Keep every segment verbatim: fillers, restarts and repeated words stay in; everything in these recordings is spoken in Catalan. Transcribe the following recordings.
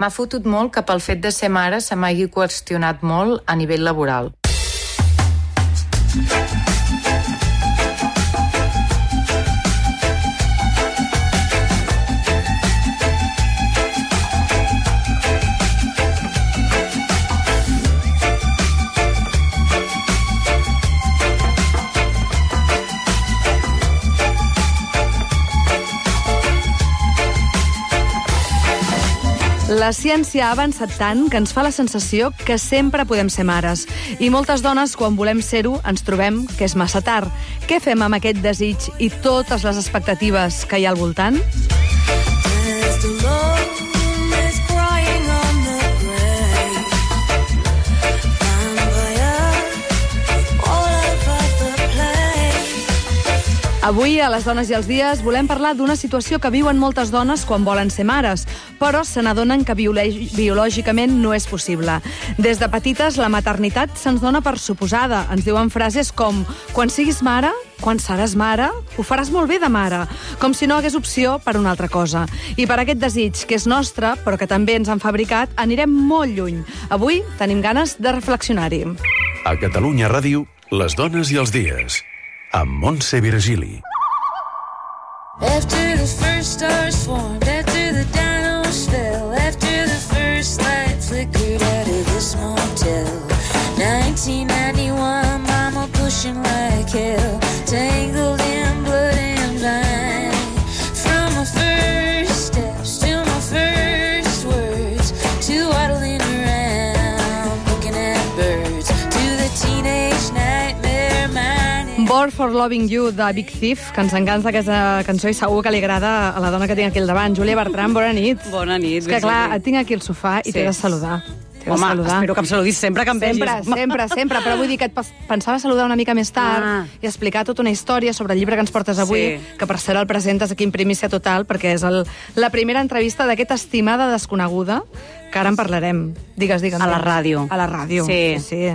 M'ha fotut molt que pel fet de ser mare se m'hagi qüestionat molt a nivell laboral. La ciència ha avançat tant que ens fa la sensació que sempre podem ser mares. I moltes dones, quan volem ser-ho, ens trobem que és massa tard. Què fem amb aquest desig i totes les expectatives que hi ha al voltant? Avui, a Les Dones i els Dies, volem parlar d'una situació que viuen moltes dones quan volen ser mares, però se n'adonen que biològicament no és possible. Des de petites, la maternitat se'ns dona per suposada. Ens diuen frases com «Quan siguis mare, quan seràs mare, ho faràs molt bé de mare», com si no hagués opció per una altra cosa. I per aquest desig, que és nostre, però que també ens han fabricat, anirem molt lluny. Avui tenim ganes de reflexionar-hi. A Catalunya Ràdio, Les Dones i els Dies, amb Montse Virgili. After the first stars formed, after the dinos fell, after the first light flickered out of this motel, nineteen ninety-one, mama pushing like hell, tangled in blood and vine. From my first steps to my first words, to waddling around, looking at birds, to the teenage nightmare mind. Born for Loving You, de Big Thief, que ens encanta aquesta cançó i segur que li agrada a la dona que tinc aquí al davant. Júlia Bertran, bona nit. Bona nit. És que clar, et tinc aquí al sofà i Sí. t'he de saludar. T'he de Home, saludar. espero que em saludis sempre que em Sempre, vegis. sempre, sempre, però vull dir que et pas- pensava saludar una mica més tard Ah. i explicar tota una història sobre el llibre que ens portes avui, Sí. que per cert el presentes aquí en primícia total, perquè és el, la primera entrevista d'aquesta estimada desconeguda, que ara en parlarem. Digues, digues. A la ràdio. A la ràdio. Sí. sí.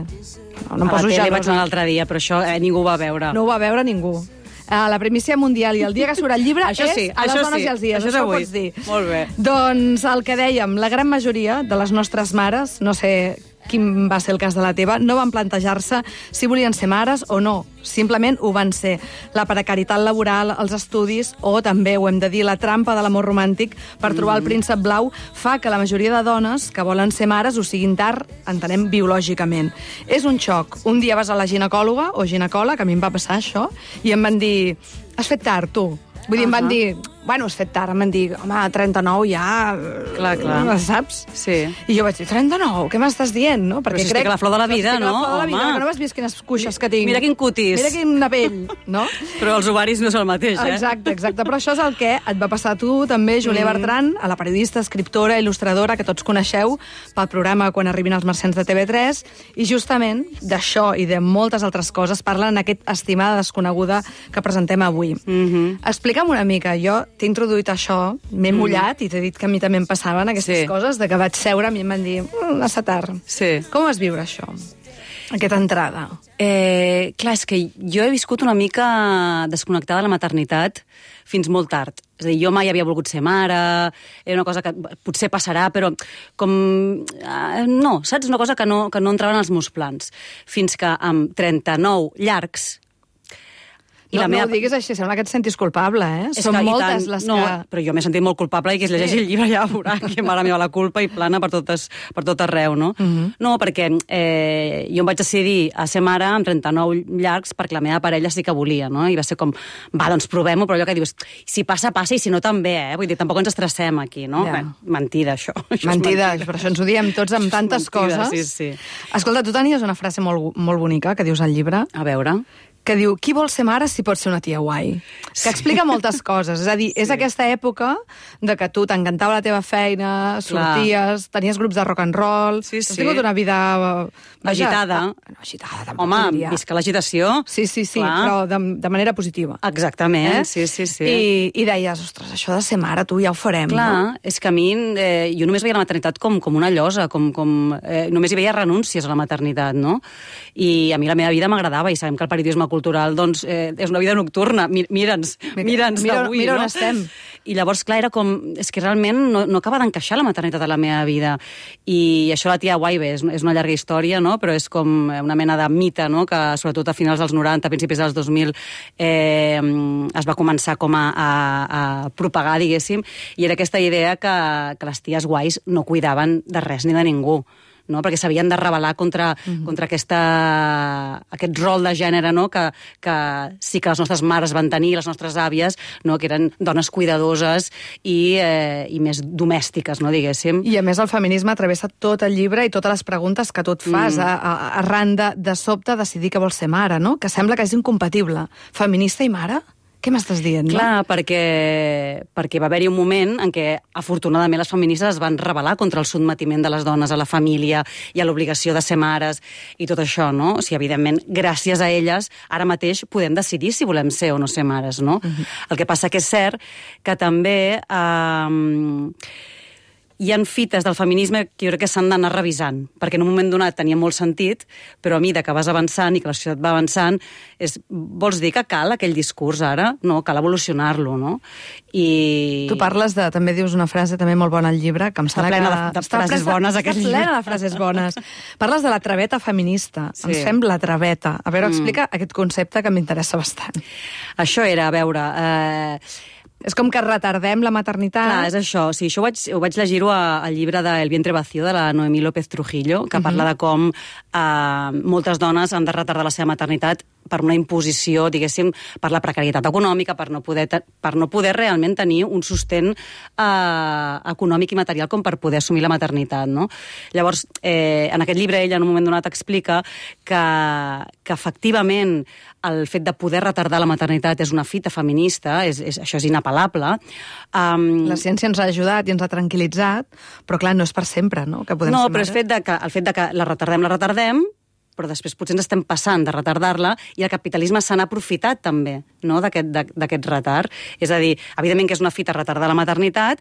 No, no em A la poso tele ja vaig anar l'altre dia, però això eh, ningú ho va veure. No ho va veure ningú. A la primícia mundial i el dia que surt el llibre Això és sí, a les això dones sí, i els dies. això és Això ho avui. pots dir. Molt bé. Doncs el que dèiem, la gran majoria de les nostres mares, no sé quin va ser el cas de la teva, no van plantejar-se si volien ser mares o no. Simplement ho van ser. La precarietat laboral, els estudis o també, ho hem de dir, la trampa de l'amor romàntic per trobar el príncep blau fa que la majoria de dones que volen ser mares ho siguin tard, entenem, biològicament. És un xoc. Un dia vas a la ginecòloga o ginecòleg, a mi em va passar això, i em van dir, has fet tard, tu. Vull dir, em van dir, bueno, has fet tard, em van dir, home, a trenta-nou ja... Clar, clar. Saps? Sí. I jo vaig dir, trenta-nou, què m'estàs dient, no? Però si estic a la flor de la vida, Estic a la no? flor de la vida, Home. que no m'has vist quines cuixes que tinc. Mira quin cutis. Mira quina pell, no? Però els ovaris no és el mateix, eh? Exacte, exacte. Però això és el que et va passar a tu, també, Júlia Mm. Bertran, a la periodista, escriptora, il·lustradora, que tots coneixeu pel programa Quan arribin els marcians de T V tres, i justament d'això i de moltes altres coses parlen en aquest estimada desconeguda que presentem avui. Mhm. Explica'm una mica, jo t'he introduït això, m'he mullat i t'he dit que a mi també em passaven aquestes Sí. coses, de que vaig seure i em van dir, mm, massa tard. Sí. Com vas viure això, aquesta entrada? Eh, clar, és que jo he viscut una mica desconnectada de la maternitat fins molt tard. És a dir, jo mai havia volgut ser mare, era una cosa que potser passarà, però com... Eh, no, saps? Una cosa que no, que no entrava en els meus plans. Fins que amb trenta-nou llargs... I no, la meva... no ho diguis així, sembla que et sentis culpable, eh? És Són que, moltes tant, les no, que... però jo m'he sentit molt culpable i que es llegeixi el llibre ja veurà que mare meva la culpa i plana per, totes, per tot arreu, no? Uh -huh. No, perquè eh, jo em vaig decidir a ser mare amb trenta-nou llargs perquè la meva parella sí que volia, no? I va ser com, va, doncs provem-ho, però allò que dius, si passa, passa, i si no també, eh? Vull dir, tampoc ens estressem aquí, no? Ja. Bé, mentida, això. això Mentida, mentida. per això ens ho diem tots amb tantes mentida, coses. sí, sí. Escolta, tu tenies una frase molt, molt bonica que dius al llibre, A veure... que diu, qui vol ser mare si pot ser una tia guai? Que explica moltes coses. És a dir, és aquesta època de que tu t'encantava la teva feina, sorties, tenies grups de rock and roll, Sí, has sí. tingut una vida... Vaja, Agitada. ah, no, agitada, tampoc Home, diria. visca l'agitació. Sí, sí, sí, Clar. però de, de manera positiva. Exactament, Eh? sí, sí, sí. I, I deies, ostres, això de ser mare, tu ja ho farem, Clar, no? és que a mi, eh, jo només veia la maternitat com, com una llosa, com, com, eh, només hi veia renúncies a la maternitat, no? I a mi la meva vida m'agradava, i sabem que el periodisme cultural, doncs, eh, és una vida nocturna. Mi, mira'ns, mira'ns mira, avui, mira on no? estem. I llavors, clar, era com... És que realment no, no acaba d'encaixar la maternitat a la meva vida. I això la tia Waibe és, és una llarga història, no? Però és com una mena de mite, no? Que sobretot a finals dels noranta, a principis dels dos mil, eh, es va començar com a, a, a propagar, diguéssim, i era aquesta idea que, que les ties guais no cuidaven de res ni de ningú, no? Perquè s'havien de rebel·lar contra, mm-hmm. contra aquesta, aquest rol de gènere, no? que, que sí que les nostres mares van tenir, les nostres àvies, no? Que eren dones cuidadoses i, eh, i més domèstiques, no? Diguéssim. I a més el feminisme travessa tot el llibre i totes les preguntes que tu et fas mm. a, a, arran de, de sobte decidir que vols ser mare, no? Que sembla que és incompatible. Feminista i mare? Què m'estàs dient, no? Clar, perquè, perquè va haver-hi un moment en què, afortunadament, les feministes es van rebel·lar contra el sotmetiment de les dones a la família i a l'obligació de ser mares i tot això, no? O sigui, evidentment, gràcies a elles, ara mateix podem decidir si volem ser o no ser mares, no? Uh-huh. El que passa que és cert que també... Eh, hi ha fites del feminisme que jo crec que s'han d'anar revisant, perquè en un moment donat tenia molt sentit, però a mesura que vas avançant i que la societat va avançant, és, vols dir que cal aquell discurs ara? No, cal evolucionar-lo, no? I... Tu parles de, també dius una frase també molt bona al llibre, que em està sembla plena que... de, de frases està bones, aquest llibre. Està llibre. plena de frases bones. Parles de la traveta feminista. Sí. Ens fem la traveta. A veure, Mm. explica aquest concepte que m'interessa bastant. Això era, a veure... Eh... És com que retardem la maternitat. Clar, és això. Sí, això ho vaig, ho vaig llegir-ho al llibre de El vientre vacío, de la Noemí López Trujillo, que uh-huh. parla de com eh, moltes dones han de retardar la seva maternitat per una imposició, diguéssim, per la precarietat econòmica, per no poder, per no poder realment tenir un sostén eh, econòmic i material com per poder assumir la maternitat, no? Llavors, eh, en aquest llibre ella en un moment donat explica que, que efectivament el fet de poder retardar la maternitat és una fita feminista, és, és, això és inapel·lable. Um, la ciència ens ha ajudat i ens ha tranquil·litzat, però clar, no és per sempre, no? Que podem no, ser però el fet, de que, el fet de que la retardem, la retardem, però després potser ens estem passant de retardar-la i el capitalisme se n'ha aprofitat també, no?, d'aquest retard. És a dir, evidentment que és una fita retardar la maternitat,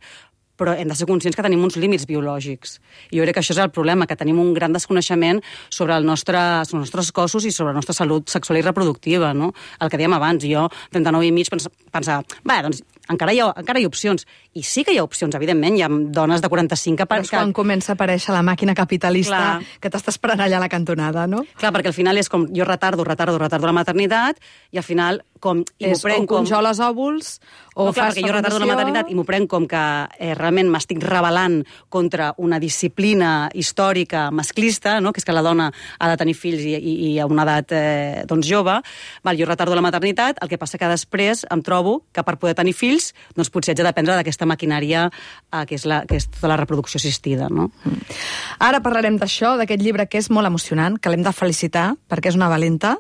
però hem de ser conscients que tenim uns límits biològics. I jo crec que això és el problema, que tenim un gran desconeixement sobre, el nostre, sobre els nostres cossos i sobre la nostra salut sexual i reproductiva, no? El que dèiem abans, jo, trenta-nou i mig, pensava, va, doncs encara hi, ha, encara hi ha opcions. I sí que hi ha opcions, evidentment, hi ha dones de quaranta-cinc que... Però és quan comença a aparèixer la màquina capitalista, clar, que t'està esperant allà a la cantonada, no? Clar, perquè al final és com, jo retardo, retardo, retardo la maternitat, i al final, com... I és o congeles com... òvuls, o no, clar, fas perquè jo retardo la maternitat i m'ho prenc com que eh, realment m'estic rebel·lant contra una disciplina històrica masclista, no?, que és que la dona ha de tenir fills i, i, i a una edat eh, doncs jove. Val, jo retardo la maternitat, el que passa que després em trobo que per poder tenir fills, doncs potser haig de dependre d'aquesta maquinària eh, que, és la, que és tota la reproducció assistida, no? Mm. Ara parlarem d'això, d'aquest llibre que és molt emocionant, que l'hem de felicitar, perquè és una valenta,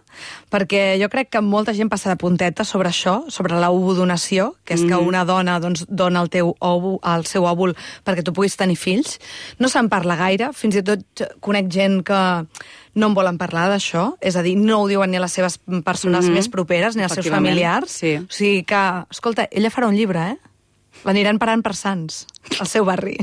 perquè jo crec que molta gent passa de punteta sobre això, sobre l'ovodonació, que és que Mm-hmm. una dona doncs, dona el, teu òvul, el seu òvul perquè tu puguis tenir fills. No se'n parla gaire, fins i tot conec gent que no en volen parlar d'això, és a dir, no ho diuen ni a les seves persones Mm-hmm. més properes, ni als seus familiars. Sí. O sigui que, escolta, ella farà un llibre, eh? L'aniran parant per Sants, al seu barri.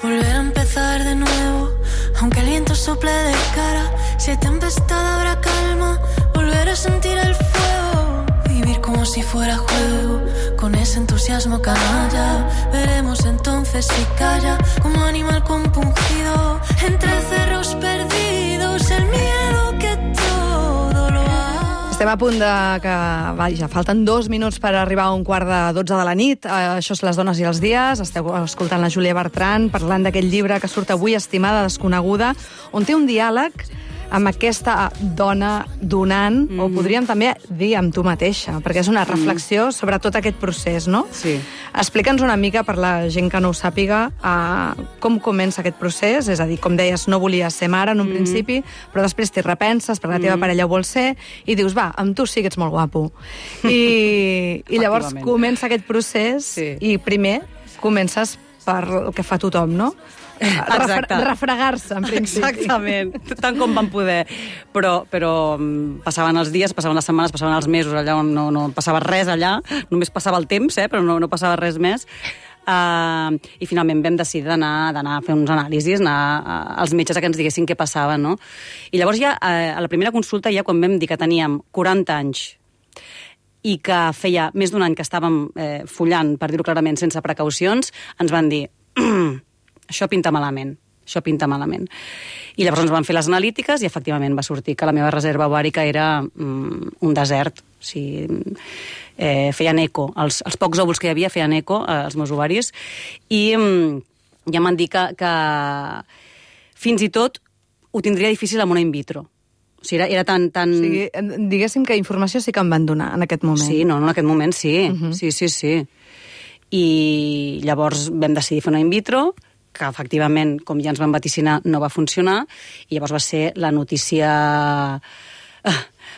Volver a empezar de nuevo, aunque el viento sople de cara, si hay tempestad habrá calma, volver a sentir el fuego, vivir como si fuera juego, con ese entusiasmo canalla, veremos entonces si calla, como animal compungido, entre cerros perdidos, el miedo que todo lo ha... Estem a punt de que, vaja, falten dos minuts per arribar a un quart de dotze de la nit. Uh, això és Les dones i els dies. Esteu escoltant la Júlia Bertran parlant d'aquest llibre que surt avui, Estimada desconeguda, on té un diàleg amb aquesta dona donant, mm. o podríem també dir amb tu mateixa, perquè és una reflexió mm. sobre tot aquest procés, no? Sí. Explica'ns una mica, per la gent que no ho sàpiga, uh, com comença aquest procés, és a dir, com deies, no volies ser mare en un mm. principi, però després t'hi repenses, perquè la teva mm. parella ho vol ser, i dius, va, amb tu sí que ets molt guapo. I, i llavors comença aquest procés, sí. i primer comences per el que fa tothom, no? Exacte. Refregar-se, en principi. Exactament, tant com van poder. Però, però passaven els dies, passaven les setmanes, passaven els mesos, allà on no, no passava res allà, només passava el temps, eh, però no, no passava res més. Uh, I finalment vam decidir d'anar d'anar a fer uns anàlisis, anar a, als metges a que ens diguessin què passava, no? I llavors ja, a, a la primera consulta, ja quan vam dir que teníem quaranta anys i que feia més d'un any que estàvem eh, follant, per dir-ho clarament, sense precaucions, ens van dir, això pinta malament, això pinta malament. I llavors ens van fer les analítiques i efectivament va sortir que la meva reserva ovàrica era mm, un desert. O sigui, eh, feien eco. Els, els pocs òvuls que hi havia feien eco eh, als meus ovaris i mm, ja m'han dit que, que fins i tot ho tindria difícil amb una in vitro. O sigui, era, era tan... tan... O sigui, diguéssim que informació sí que em van donar en aquest moment. Sí, no, no en aquest moment sí. Uh-huh. Sí, sí, sí. I llavors vam decidir fer una in vitro, que efectivament, com ja ens van vaticinar, no va funcionar, i llavors va ser la notícia eh,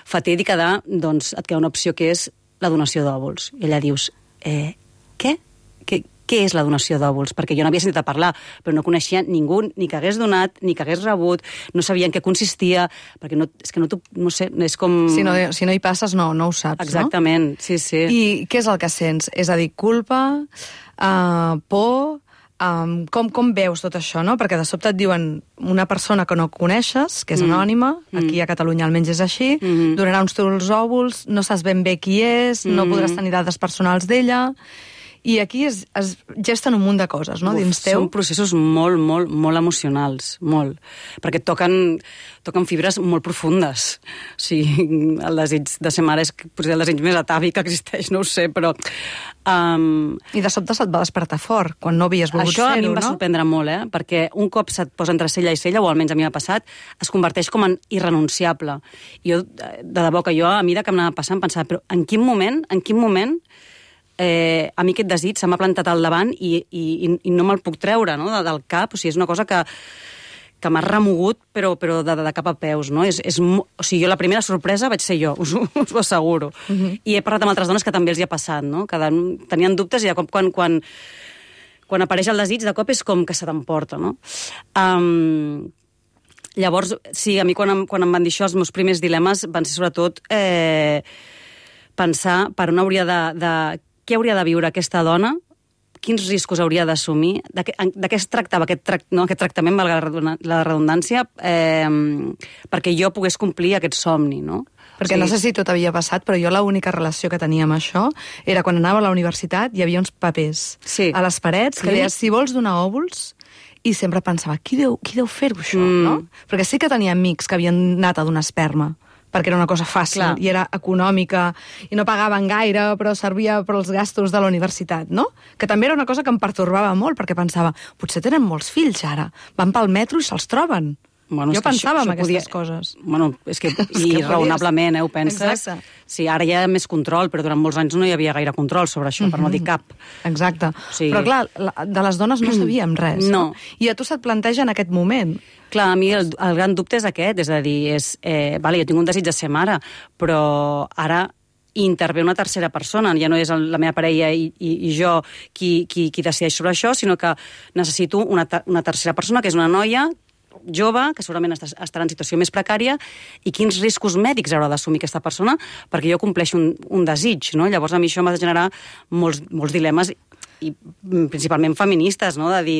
fatídica de, doncs, et queda una opció que és la donació d'òvuls. I allà dius, eh, què? Què, què és la donació d'òvuls? Perquè jo no havia sentit a parlar, però no coneixia ningú ni que hagués donat, ni que hagués rebut, no sabia en què consistia, perquè no, és que no, no sé, és com... Si no, si no hi passes, no, no ho saps, exactament, no? Sí, sí. I què és el que sents? És a dir, culpa, uh, por... Um, com, com veus tot això, no? Perquè de sobte et diuen una persona que no coneixes, que és anònima, mm. aquí a Catalunya almenys és així, mm. donarà uns teus òvuls, no saps ben bé qui és, mm. no podràs tenir dades personals d'ella, i aquí es, es gesten un munt de coses, no?, Uf, dins teu. Són processos molt, molt, molt emocionals, molt. Perquè toquen, toquen fibres molt profundes. O sigui, el desig de ser mare és potser el desig més atàvic que existeix, no ho sé, però... Um, I de sobte se't va despertar fort, quan no havies volgut ser-ho, no? Això a mi em va no? sorprendre molt, eh? Perquè un cop se't posa entre cella i cella, o almenys a mi m'ha passat, es converteix com en irrenunciable. I jo, de debò que jo, a mesura que m'anava passant, pensava, però en quin moment, en quin moment eh, a mi aquest desig se m'ha plantat al davant i, i, i no me'l puc treure, no?, de, del cap. O sigui, és una cosa que, que m'ha remogut, però, però de, de cap a peus, no? És, és, o sigui, jo la primera sorpresa vaig ser jo, us, us ho asseguro. Uh-huh. I he parlat amb altres dones que també els hi ha passat, no?, que tenien dubtes i de cop quan, quan, quan apareix el desig, de cop és com que se t'emporta, no? Um, llavors, sí, a mi quan em, quan em van dir això, els meus primers dilemes van ser sobretot eh, pensar per on hauria de... de què hauria de viure aquesta dona, quins riscos hauria d'assumir, de, de què es tractava aquest, tract, no, aquest tractament, valga la redundància, eh, perquè jo pogués complir aquest somni, no? Perquè o sigui, no sé si tot havia passat, però jo l'única relació que tenia amb això era quan anava a la universitat hi havia uns papers sí. a les parets que sí. deies si vols donar òvuls, i sempre pensava, qui deu, qui deu fer-ho això, mm. no? Perquè sí que tenia amics que havien anat a donar esperma, perquè era una cosa fàcil, clar, i era econòmica, i no pagaven gaire, però servia per als gastos de la universitat, no? Que també era una cosa que em pertorbava molt, perquè pensava, potser tenen molts fills ara, van pel metro i se'ls troben. Bueno, jo pensava això, en això aquestes podia... coses. Bueno, és que, i que raonablement, eh, ho penses. Exacte. Sí, ara hi ha més control, però durant molts anys no hi havia gaire control sobre això, mm-hmm. per no dir cap. Exacte. Sí. Però clar, de les dones no sabíem res. No. no? I a tu se't planteja en aquest moment. Clar, a mi el, el gran dubte és aquest, és a dir, és, eh, vale, jo tinc un desig de ser mare, però ara intervé una tercera persona, ja no és la meva parella i, i, i jo qui, qui, qui decideix sobre això, sinó que necessito una, una tercera persona, que és una noia jove, que segurament estarà en situació més precària, i quins riscos mèdics haurà d'assumir aquesta persona perquè jo compleixo un, un desig, no? Llavors a mi això m'ha de generar molts, molts dilemes, i principalment feministes, no? De dir,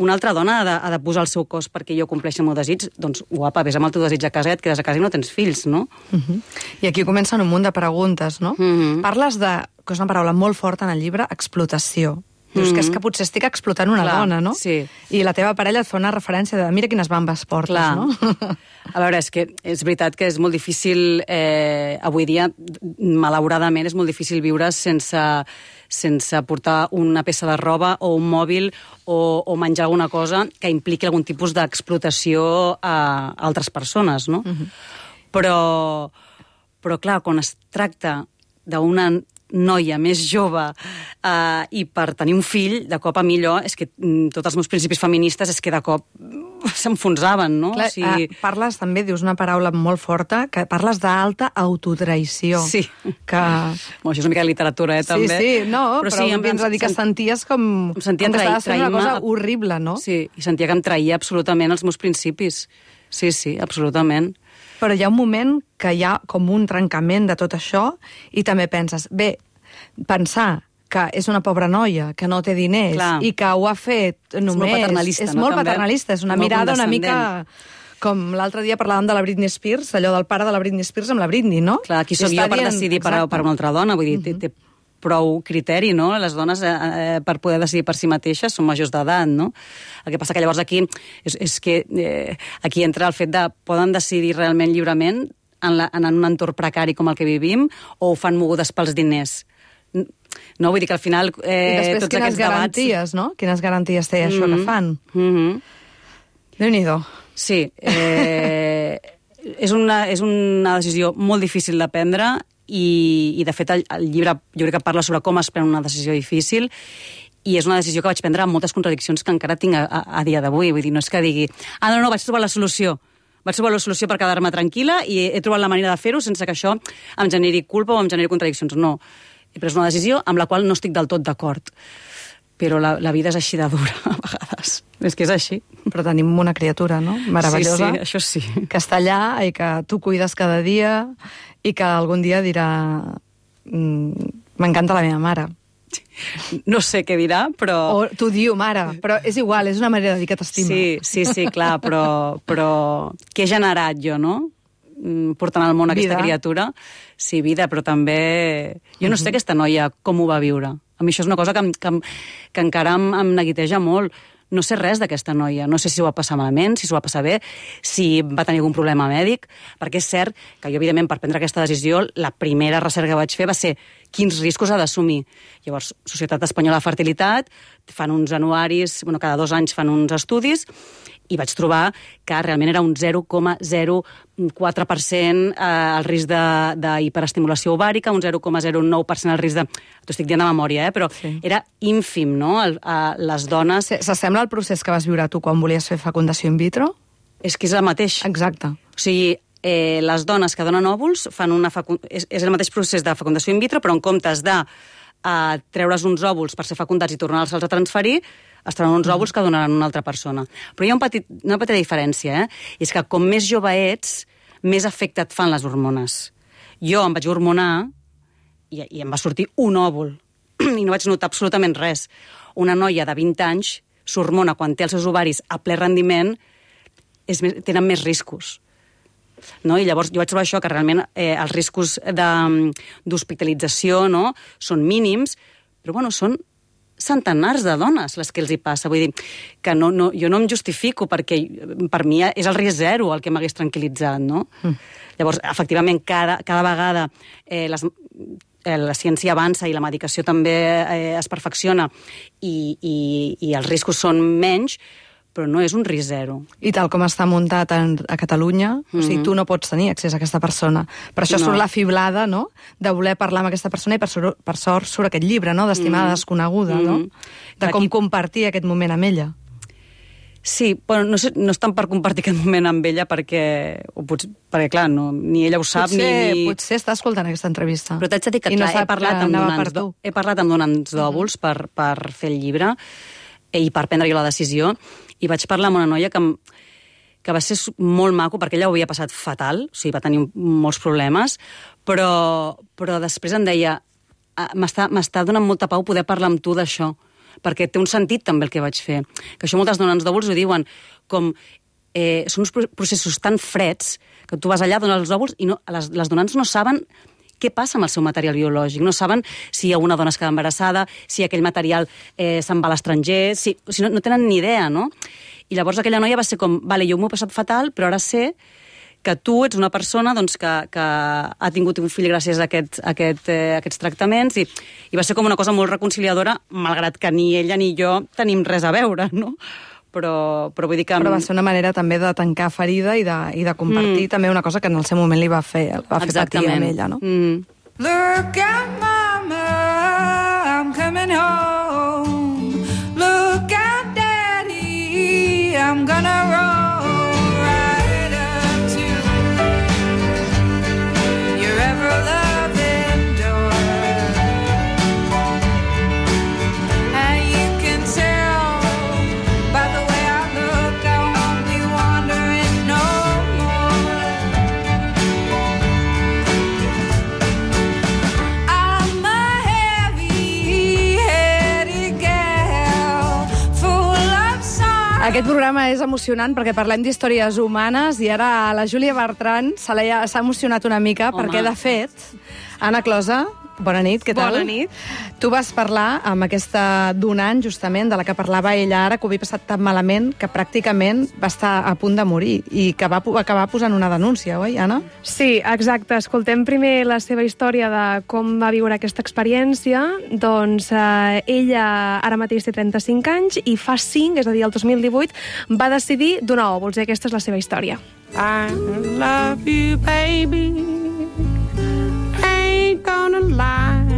una altra dona ha de, ha de posar el seu cos perquè jo compleixi el meu desig, doncs guapa, vés amb el teu desig a casa i et quedes a casa i no tens fills, no? Uh-huh. I aquí comencen un munt de preguntes, no? Uh-huh. Parles de, que és una paraula molt forta en el llibre, explotació. Dius que és que potser estic explotant una Clar, dona, no? Sí. I la teva parella et fa una referència de mira quines bambes portes, Clar. no? A veure, és que és veritat que és molt difícil, eh, avui dia, malauradament, és molt difícil viure sense, sense portar una peça de roba o un mòbil o, o menjar alguna cosa que impliqui algun tipus d'explotació a altres persones, no? Uh-huh. Però, però, clar, quan es tracta d'una noia més jove eh, i per tenir un fill, de cop a mi allò, és que mm, tots els meus principis feministes és que de cop s'enfonsaven, no? Clar, o sigui... eh, parles també, dius una paraula molt forta, que parles d'alta autotraïció. Sí. Que... Bueno, això és una mica de literatura, eh, també. Sí, sí, no, però, però sí, em vens a dir que sent... senties com, em sentia com que traï, estaves fent una cosa horrible, no? Sí, i sentia que em traïa absolutament els meus principis. Sí, sí, absolutament. Però hi ha un moment que hi ha com un trencament de tot això i també penses, bé, pensar que és una pobra noia, que no té diners, Clar. i que ho ha fet només... És molt paternalista, és no? molt També. paternalista, és una Molt mirada una condescendent. mica... Com l'altre dia parlàvem de la Britney Spears, allò del pare de la Britney Spears amb la Britney, no? Clar, qui sóc I jo està per dient- decidir per, Exacte. per una altra dona? Vull dir, té, té prou criteri, no? Les dones, eh, eh, per poder decidir per si mateixes, són majors d'edat, no? El que passa que llavors aquí és, és que eh, aquí entra el fet de poden decidir realment lliurement en, la, en un entorn precari com el que vivim o ho fan mogudes pels diners. No, vull dir que al final eh, I després tots quines aquests garanties, debats... no? Quines garanties té això Mhm. que fan? Mhm. Déu-n'hi-do. Sí, eh, és, una, és una decisió molt difícil de prendre i, i de fet, el, el llibre jo crec que parla sobre com es pren una decisió difícil i és una decisió que vaig prendre amb moltes contradiccions que encara tinc a, a, a dia d'avui. Vull dir, no és que digui, ah, no, no, vaig trobar la solució. Vaig trobar la solució per quedar-me tranquil·la i he, he trobat la manera de fer-ho sense que això em generi culpa o em generi contradiccions. No, he pres una decisió amb la qual no estic del tot d'acord. Però la, la vida és així de dura, a vegades. És que és així. Però tenim una criatura, no? Meravellosa. Sí, sí, això sí. Que està allà i que tu cuides cada dia i que algun dia dirà mm, m'encanta la meva mare. No sé què dirà, però... O t'ho diu, mare, però és igual, és una manera de dir que t'estima. Sí, sí, sí, clar, però, però què he generat jo, no? Mm, portant al món aquesta Vida. criatura. Sí, vida, però també... Jo no sé aquesta noia com ho va viure. A mi això és una cosa que, em- que, em- que encara em, em neguiteja molt. No sé res d'aquesta noia. No sé si ho va passar malament, si s'ho va passar bé, si va tenir algun problema mèdic, perquè és cert que jo, evidentment, per prendre aquesta decisió, la primera recerca que vaig fer va ser quins riscos ha d'assumir. Llavors, Societat Espanyola de Fertilitat, fan uns anuaris, bueno, cada dos anys fan uns estudis, i vaig trobar que realment era un zero coma zero quatre per cent eh, el risc de- d'hiperestimulació ovàrica, un zero coma zero nou per cent el risc de... T'ho estic dient de memòria, eh? Però Sí. era ínfim, no? El, eh, les dones... Se- S'assembla al procés que vas viure tu quan volies fer fecundació in vitro? És que és el mateix. Exacte. O sigui, eh, les dones que donen òvuls fan una fecund... és, és el mateix procés de fecundació in vitro, però en comptes de eh, treure's uns òvuls per ser fecundats i tornar-los a transferir, es treuen uns òvuls que donaran una altra persona. Però hi ha un petit, una petita diferència, eh? I és que com més jove ets, més efecte et fan les hormones. Jo em vaig hormonar i, i em va sortir un òvul i no vaig notar absolutament res. Una noia de vint anys s'hormona quan té els seus ovaris a ple rendiment, és més, tenen més riscos. No? I llavors jo vaig trobar això, que realment eh, els riscos de- d'hospitalització no? són mínims, però bueno, són centenars de dones les que els hi passa. Vull dir que no, no, jo no em justifico perquè per mi és el risc zero el que m'hagués tranquil·litzat, no? Mm. Llavors, efectivament, cada, cada vegada eh, les, eh, la ciència avança i la medicació també eh, es perfecciona i, i, i els riscos són menys, però no és un risc zero. I tal com està muntat en, a Catalunya, mm -hmm. o sigui, tu no pots tenir accés a aquesta persona. Per això No. surt la fiblada, no?, de voler parlar amb aquesta persona i per, sort, per sort surt aquest llibre, no?, d'Estimada Mm. desconeguda, no?, Mm. de com Aquí- compartir aquest moment amb ella. Sí, bueno, no, sé, no és tant per compartir aquest moment amb ella perquè, o potser, perquè clar, no, ni ella ho sap potser, ni... ni... potser està escoltant aquesta entrevista. Però t'haig de dir que I no clar, he sap parlat, que amb anava donants, per tu. d'o- he parlat amb donants d'òvuls per, per fer el llibre i per prendre jo la decisió, i vaig parlar amb una noia que, em- que va ser su- molt maco, perquè ella ho havia passat fatal, o sigui, va tenir molts problemes, però, però després em deia "Ah, m'està m'està donant molta pau poder parlar amb tu d'això, perquè té un sentit també el que vaig fer. Que això moltes donants d'òvuls ho diuen, com eh, són uns pro- processos tan freds que tu vas allà, dones els òvuls i no, les, les donants no saben què passa amb el seu material biològic. No saben si una dona es queda embarassada, si aquell material eh, se'n va a l'estranger, si, o sigui, no, no tenen ni idea, no? I llavors aquella noia va ser com, vale, jo m'ho he passat fatal, però ara sé que tu ets una persona doncs, que, que ha tingut un fill gràcies a, aquest, a, aquest, eh, a aquests tractaments i, i va ser com una cosa molt reconciliadora, malgrat que ni ella ni jo tenim res a veure, no? Però, però vull dir que... Però va ser una manera també de tancar ferida i de, i de compartir mm. també una cosa que en el seu moment li va fer, va fer patir amb ella, no? Mm. Look out, mama, I'm coming home. Look out, daddy, I'm gonna roll right up to your ever-loving door. And you can tell by the way I look, I won't be wandering no more. I'm a heavy Aquest programa és emocionant perquè parlem d'històries humanes i ara a la Júlia Bertran se l'ha s'ha emocionat una mica. Home. Perquè, de fet, Anna Closa, bona nit, què tal? Bona nit. Tu vas parlar amb aquesta donant, justament, de la que parlava ella ara, que ho havia passat tan malament que pràcticament va estar a punt de morir i que va acabar posant una denúncia, oi, Anna? Sí, exacte. Escoltem primer la seva història de com va viure aquesta experiència. Doncs eh, ella ara mateix té trenta-cinc anys i fa cinc, és a dir, el dos mil divuit, va decidir donar òvuls i aquesta és la seva història. I love you, baby. Ain't gonna lie.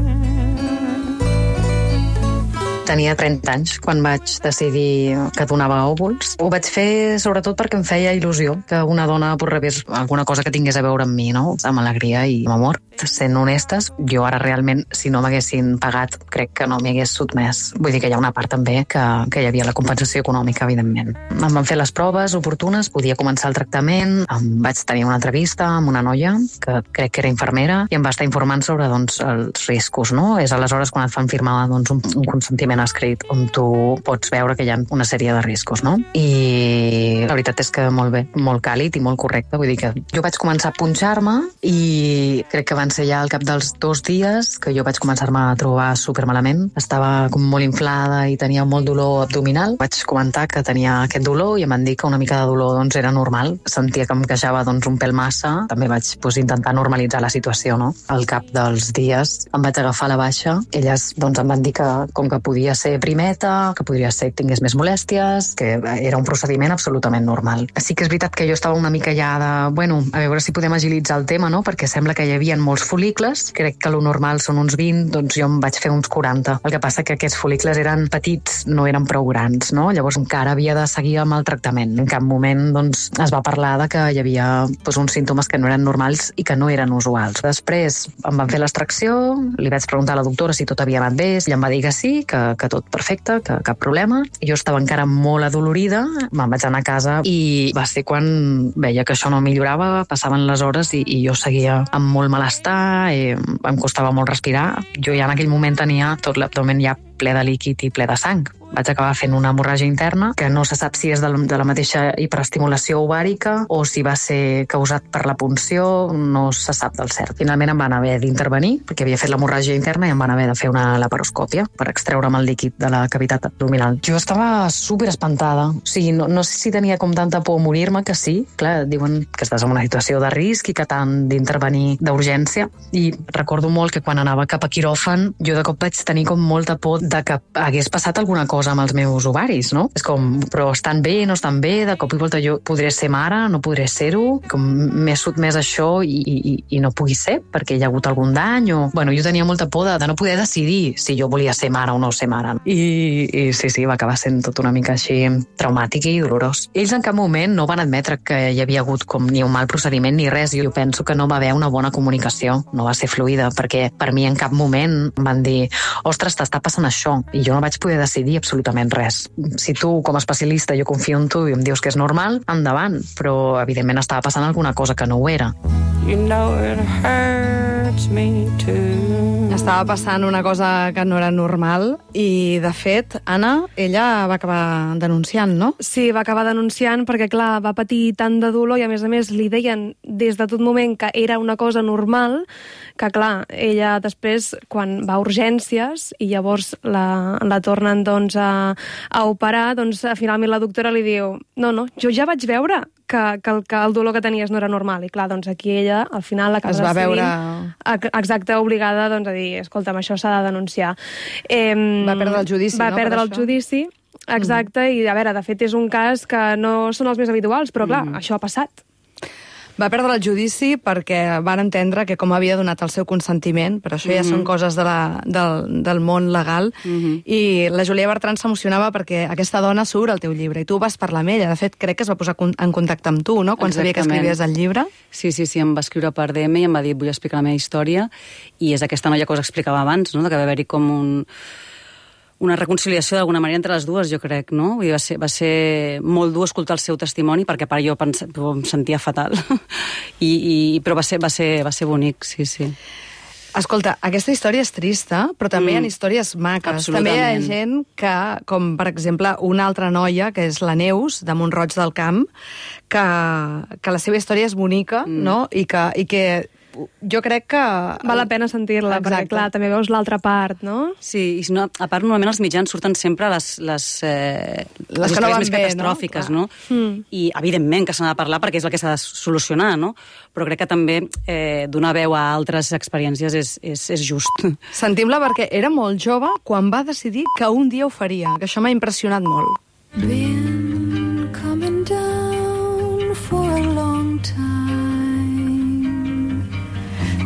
Tenia trenta anys quan vaig decidir que donava òvuls. Ho vaig fer sobretot perquè em feia il·lusió que una dona rebés alguna cosa que tingués a veure amb mi, no? Amb alegria i amb amor. Sent honestes, jo ara realment, si no m'haguessin pagat, crec que no m'hi hagués sotmès. Vull dir que hi ha una part també que, que hi havia la compensació econòmica, evidentment. Em van fer les proves oportunes, podia començar el tractament, em vaig tenir una entrevista amb una noia que crec que era infermera i em va estar informant sobre doncs, els riscos, no? És aleshores quan et fan firmar doncs, un, un consentiment escrit on tu pots veure que hi ha una sèrie de riscos, no? I la veritat és que molt bé, molt càlid i molt correcte. Vull dir que jo vaig començar a punxar-me i crec que van ser ja al cap dels dos dies que jo vaig començar-me a trobar supermalament. Estava com molt inflada i tenia molt dolor abdominal. Vaig comentar que tenia aquest dolor i em van dir que una mica de dolor doncs, era normal. Sentia que em queixava doncs, un pèl massa. També vaig doncs, intentar normalitzar la situació, no? Al cap dels dies em vaig agafar la baixa. Elles doncs, em van dir que com que podia ser primeta, que podria ser que tingués més molèsties, que era un procediment absolutament normal. Sí que és veritat que jo estava una mica ja de, bueno, a veure si podem agilitzar el tema, no? Perquè sembla que hi havia molts folicles, crec que lo normal són uns vint, doncs jo em vaig fer uns quaranta. El que passa que aquests folicles eren petits, no eren prou grans, no? Llavors encara havia de seguir amb el tractament. En cap moment doncs, es va parlar de que hi havia doncs, uns símptomes que no eren normals i que no eren usuals. Després em van fer l'extracció, li vaig preguntar a la doctora si tot havia anat bé, i em va dir que sí, que, que tot perfecte, que cap problema. Jo estava encara molt adolorida, me'n vaig anar a casa i va ser quan veia que això no millorava, passaven les hores i, i jo seguia amb molt malestar, i em costava molt respirar. Jo ja en aquell moment tenia tot l'abdomen ja ple de líquid i ple de sang. Vaig acabar fent una hemorràgia interna, que no se sap si és de la mateixa hiperestimulació ovàrica o si va ser causat per la punció, no se sap del cert. Finalment em van haver d'intervenir, perquè havia fet l'hemorràgia interna i em van haver de fer una laparoscòpia per extreure'm el líquid de la cavitat abdominal. Jo estava super espantada. O sigui, no, no sé si tenia com tanta por a morir-me, que sí. Clar, diuen que estàs en una situació de risc i que t'han d'intervenir d'urgència. I recordo molt que quan anava cap a quiròfan, jo de cop vaig tenir com molta por de que hagués passat alguna cosa amb els meus ovaris, no? És com, però estan bé, no estan bé, de cop i volta jo podré ser mare, no podré ser-ho, com m'he sotmès a això i, i, i no pugui ser, perquè hi ha hagut algun dany, o... Bueno, jo tenia molta por de, de no poder decidir si jo volia ser mare o no ser mare. I, i sí, sí, va acabar sent tot una mica així traumàtic i dolorós. Ells en cap moment no van admetre que hi havia hagut com ni un mal procediment ni res. Jo penso que no va haver una bona comunicació, no va ser fluida, perquè per mi en cap moment van dir, ostres, t'està passant això, i jo no vaig poder decidir absolutament res. Si tu, com a especialista, jo confio en tu i em dius que és normal, endavant, però evidentment estava passant alguna cosa que no ho era. You know it hurts me too. Estava passant una cosa que no era normal i, de fet, Anna, ella va acabar denunciant, no? Sí, va acabar denunciant perquè, clar, va patir tant de dolor i, a més a més, li deien des de tot moment que era una cosa normal, que, clar, ella després, quan va a urgències i llavors la, la tornen, doncs, a, a operar, doncs, finalment la doctora li diu no, no, jo ja vaig veure que, que, el, que el dolor que tenies no era normal. I, clar, doncs, aquí ella, al final, acaba es va decidint, veure... exacte, obligada, doncs, a dir, escolta'm, això s'ha de denunciar. Eh, va perdre el judici, va no? Va perdre el judici, exacte, mm. i, a veure, de fet, és un cas que no són els més habituals, però, clar, mm. això ha passat. Va perdre el judici perquè van entendre que com havia donat el seu consentiment, però això ja mm-hmm. són coses de la, del, del món legal, mm-hmm. i la Júlia Bertran s'emocionava perquè aquesta dona surt al teu llibre, i tu vas parlar amb ella. De fet, crec que es va posar en contacte amb tu, no?, quan sabia que escrivies el llibre. Sí, sí, sí, em va escriure per D M i em va dir, vull explicar la meva història, i és aquesta noia que us explicava abans, no?, que va haver-hi com un... una reconciliació d'alguna manera entre les dues, jo crec, no? Vull dir, va ser, va ser molt dur escoltar el seu testimoni, perquè a part jo pens... em sentia fatal, I, i, però va ser, va, ser, va ser bonic, sí, sí. Escolta, aquesta història és trista, però també mm. hi ha històries maques. També hi ha gent que, com per exemple una altra noia, que és la Neus, de Mont-roig del Camp, que, que la seva història és bonica, mm. no? I que, i que jo crec que... Val la pena sentir-la, perquè, clar, també veus l'altra part, no? Sí, i si no, a part, normalment els mitjans surten sempre les, les, eh, les, les que no van més bé, catastròfiques, no? no? Mm. I, evidentment, que s'ha de parlar perquè és el que s'ha de solucionar, no? Però crec que també eh, donar veu a altres experiències és, és, és just. Sentim-la perquè era molt jove quan va decidir que un dia ho faria, que això m'ha impressionat molt. Been coming down for a long time.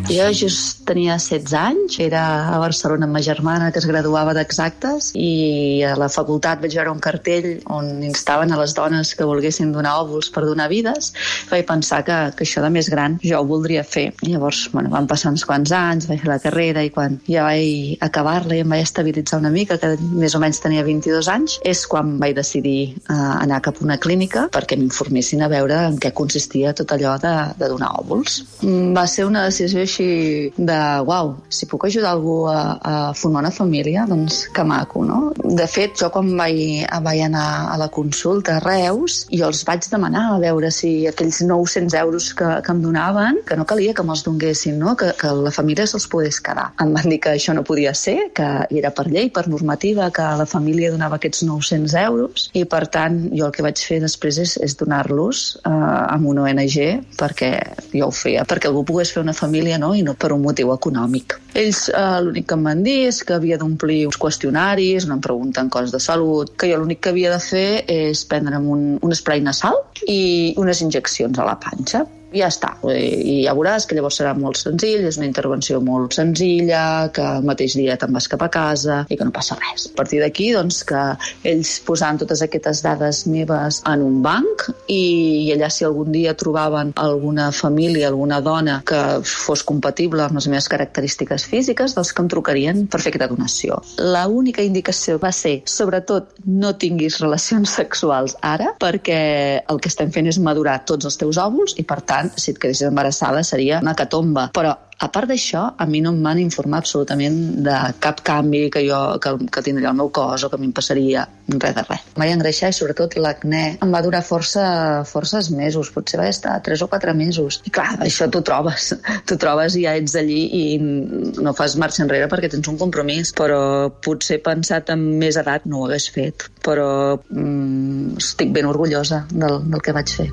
Jo just tenia setze anys, era a Barcelona amb ma germana que es graduava d'Exactes i a la facultat vaig veure un cartell on instaven a les dones que volguessin donar òvuls per donar vides. Vaig pensar que, que això de més gran jo ho voldria fer. I llavors, bueno, van passar uns quants anys, vaig fer la carrera i quan ja vaig acabar-la i em vaig estabilitzar una mica, que més o menys tenia vint-i-dos anys, és quan vaig decidir uh, anar cap a una clínica perquè m'informessin a veure en què consistia tot allò de, de donar òvuls. Mm, va ser una decisió així de, uau, si puc ajudar algú a, a formar una família, doncs que maco, no? De fet, jo quan vaig, vaig anar a la consulta a Reus, jo els vaig demanar a veure si aquells nou-cents euros que, que em donaven, que no calia que me'ls donguessin, no? Que, que la família se'ls pogués quedar. Em van dir que això no podia ser, que era per llei, per normativa, que la família donava aquests nou-cents euros, i per tant, jo el que vaig fer després és, és donar-los eh, amb una O N G, perquè jo ho feia, perquè algú pogués fer una família, no? I no per un motiu econòmic. Ells eh, l'únic que em van dir és que havia d'omplir uns qüestionaris, no em pregunten coses de salut, que jo l'únic que havia de fer és prendre'm un, un spray nasal i unes injeccions a la panxa. I ja està. I ja veuràs que llavors serà molt senzill, és una intervenció molt senzilla, que el mateix dia te'n vas cap a casa i que no passa res. A partir d'aquí, doncs, que ells posaven totes aquestes dades meves en un banc i allà si algun dia trobaven alguna família, alguna dona que fos compatible amb les meves característiques físiques, doncs que em trucarien per fer aquesta donació. La única indicació va ser, sobretot, no tinguis relacions sexuals ara, perquè el que estem fent és madurar tots els teus òvuls i, per tant, si et quedessis embarassada seria una hecatombe. Però a part d'això, a mi no em van informar absolutament de cap canvi que jo que, que tindria el meu cos o que m'hi passaria, res de res. Em vaig engreixar i sobretot l'acné em va durar força, forces mesos, potser va estar tres o quatre mesos. I clar, això t'ho trobes, t'ho trobes i ja ets allí i no fas marxa enrere perquè tens un compromís, però potser pensat amb més edat no ho hagués fet, però mm, estic ben orgullosa del, del que vaig fer.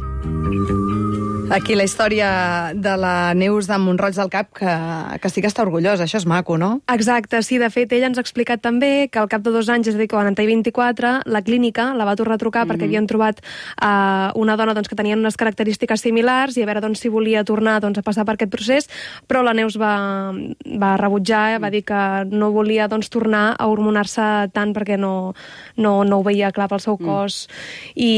Aquí la història de la Neus de Mont-roig del Camp, que, que sí que està orgullosa, això és maco, no? Exacte, sí, de fet, ella ens ha explicat també que al cap de dos anys, és a dir, quan en té vint-i-quatre, la clínica la va tornar a trucar mm-hmm. perquè havien trobat uh, una dona doncs, que tenien unes característiques similars i a veure doncs, si volia tornar doncs, a passar per aquest procés, però la Neus va, va rebutjar, va dir que no volia doncs, tornar a hormonar-se tant perquè no, no, no ho veia clar pel seu cos mm. i,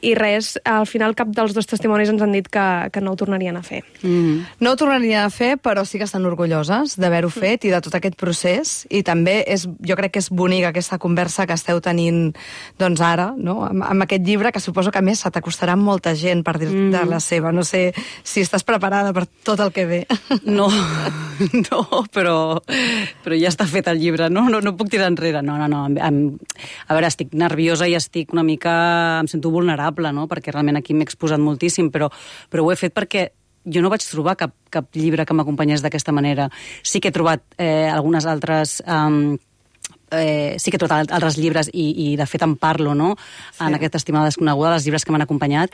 i res, al final cap dels dos testimonis ens han dit que que no ho tornarien a fer. Mm. No ho tornarien a fer, però sí que estan orgulloses d'haver-ho mm. fet i de tot aquest procés. I també és, jo crec que és bonica aquesta conversa que esteu tenint doncs ara, no? amb, amb aquest llibre, que suposo que a més se t'acostarà molta gent per dir-te mm. la seva. No sé si estàs preparada per tot el que ve. No, no, però, però ja està fet el llibre. No, no, no puc tirar enrere. No, no, no. Em, a veure, estic nerviosa i estic una mica... Em sento vulnerable, no? Perquè realment aquí m'he exposat moltíssim, però, però ho he fet perquè jo no vaig trobar cap, cap llibre que m'acompanyés d'aquesta manera. Sí que he trobat eh, algunes altres... Um, Eh, sí que he trobat altres llibres i, i de fet en parlo, no? Sí. En aquesta estimada desconeguda, dels llibres que m'han acompanyat,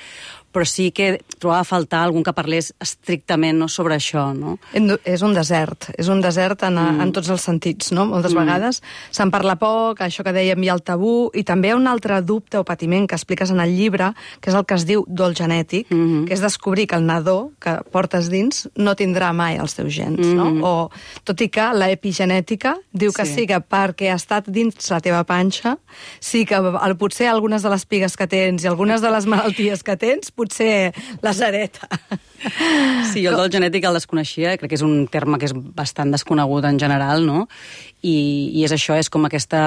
però sí que trobava a faltar algun que parlés estrictament no, sobre això, no? És un desert, és un desert en, mm. en tots els sentits, no? Moltes mm. vegades se'n parla poc, això que dèiem, hi ha el tabú, i també hi ha un altre dubte o patiment que expliques en el llibre, que és el que es diu dol genètic, mm -hmm. que és descobrir que el nadó que portes dins no tindrà mai els teus gens, mm -hmm. no? O, tot i que l'epigenètica diu que sí, sí que perquè ha estat dins la teva panxa, sí que el, potser algunes de les pigues que tens i algunes de les malalties que tens potser les hereta. Sí, jo el dol genètic el desconeixia, crec que és un terme que és bastant desconegut en general, no? i, i és això, és com aquesta,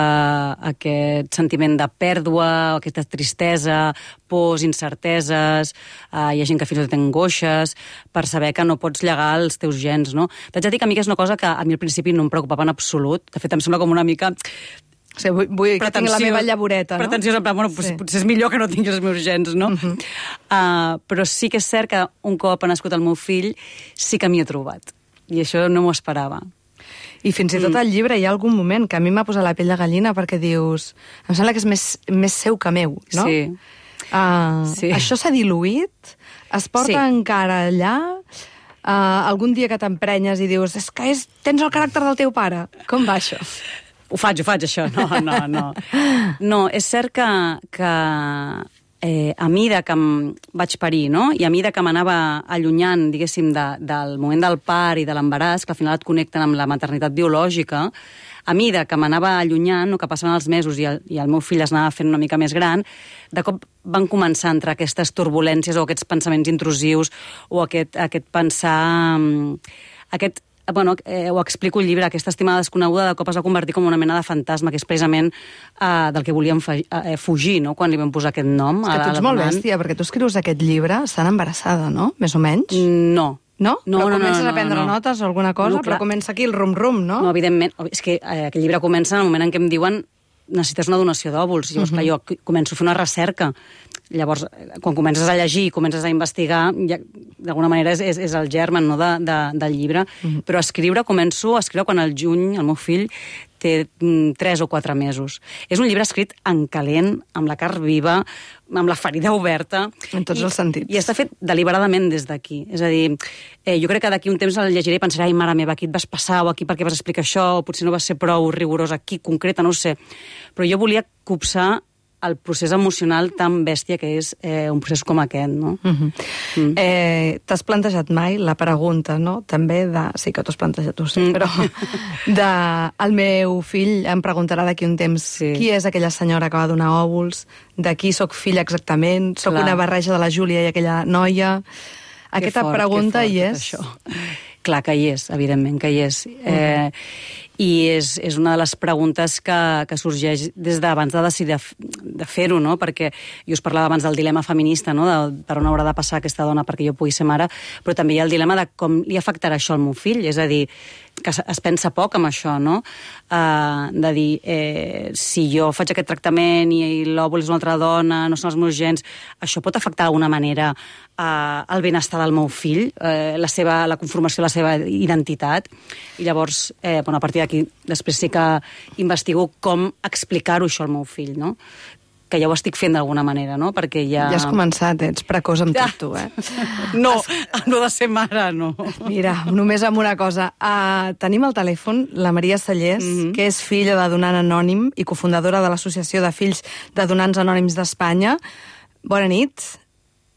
aquest sentiment de pèrdua, aquesta tristesa, pors, incerteses, eh, hi ha gent que fins i tot té angoixes, per saber que no pots llegar els teus gens, no? T'haig de dir que a mi és una cosa que a mi al principi no em preocupava en absolut, de fet em sembla com una mica... O sigui, vull, vull que tingui la meva llavoreta, no? Pretensiós, en plan, bueno, sí. Potser és millor que no tingui els meus gens, no? Uh-huh. uh, però sí que és cert que un cop ha nascut el meu fill sí que m'hi he trobat, i això no m'ho esperava. I fins i tot al llibre hi ha algun moment que a mi m'ha posat la pell de gallina perquè dius... Em sembla que és més, més seu que meu, no? Sí. Uh, sí. Això s'ha diluït? Es porta sí. encara allà? Uh, algun dia que t'emprenyes i dius és que és, tens el caràcter del teu pare. Com va això? Ho faig, ho faig, això. No, no, no. No, és cert que... que... Eh, a mida que em vaig parir, no? I a mida que m'anava allunyant, diguéssim, de, del moment del part i de l'embaràs, que al final et connecten amb la maternitat biològica, a mida que m'anava allunyant, o que passaven els mesos i el, i el meu fill es anava fent una mica més gran, de cop van començar a entrar aquestes turbulències o aquests pensaments intrusius o aquest, aquest pensar... aquest bueno, eh, ho explico al llibre, aquesta estimada desconeguda de cop es va convertir com una mena de fantasma, que és precisament eh, del que volíem eh, fugir, no?, quan li vam posar aquest nom. És que tu ets molt bèstia, perquè tu escrius aquest llibre estant embarassada, no?, més o menys? No. No? No, però no, comences no, no, a prendre no. notes o alguna cosa, no, però comença aquí el rum-rum, no? No, evidentment. És que eh, aquest llibre comença en el moment en què em diuen necessites una donació d'òvuls. Llavors, uh -huh. clar, jo començo a fer una recerca. Llavors, quan comences a llegir i comences a investigar, ja, d'alguna manera és, és, és el germen, no, de, de, del llibre. Uh -huh. Però a escriure, començo a escriure quan al juny el meu fill té mm, tres o quatre mesos. És un llibre escrit en calent, amb la carn viva, amb la ferida oberta. En tots i, els sentits. I està fet deliberadament des d'aquí. És a dir, eh, jo crec que d'aquí un temps el llegiré i pensaré, ai, mare meva, aquí et vas passar, o aquí per què vas explicar això, o potser no vas ser prou rigorós aquí, concreta, no ho sé. Però jo volia copsar el procés emocional tan bèstia que és eh, un procés com aquest, no? Uh -huh. mm. eh, T'has plantejat mai la pregunta, no?, també de... Sí que t'ho has plantejat, ho sé, mm. però... de... El meu fill em preguntarà d'aquí un temps sí. qui és aquella senyora que va donar òvuls, de qui sóc filla exactament, sóc una barreja de la Júlia i aquella noia... Aquesta fort, pregunta fort, hi és. Això. Clar que hi és, evidentment que hi és. Mm. Eh, I és, és una de les preguntes que, que sorgeix des d'abans de decidir de fer-ho, no? Perquè jo us parlava abans del dilema feminista, no?, de per on haurà de passar aquesta dona perquè jo pugui ser mare, però també hi ha el dilema de com li afectarà això al meu fill, és a dir, que es pensa poc amb això, no? Uh, de dir, eh, si jo faig aquest tractament i, i l'òvul és una altra dona, no són els meus gens, això pot afectar d'alguna manera uh, el benestar del meu fill, uh, la, seva, la conformació de la seva identitat, i llavors, eh, bueno, a partir d'aquí, després sí que investigo com explicar-ho això al meu fill, no? Que ja ho estic fent d'alguna manera, no? Perquè ja... Ja has començat, ets precoç amb tot, tu, eh? No, no de ser mare, no. Mira, només amb una cosa. Uh, tenim al telèfon la Maria Sallés, mm-hmm. que és filla de donant anònim i cofundadora de l'Associació de Fills de Donants Anònims d'Espanya. Bona nit,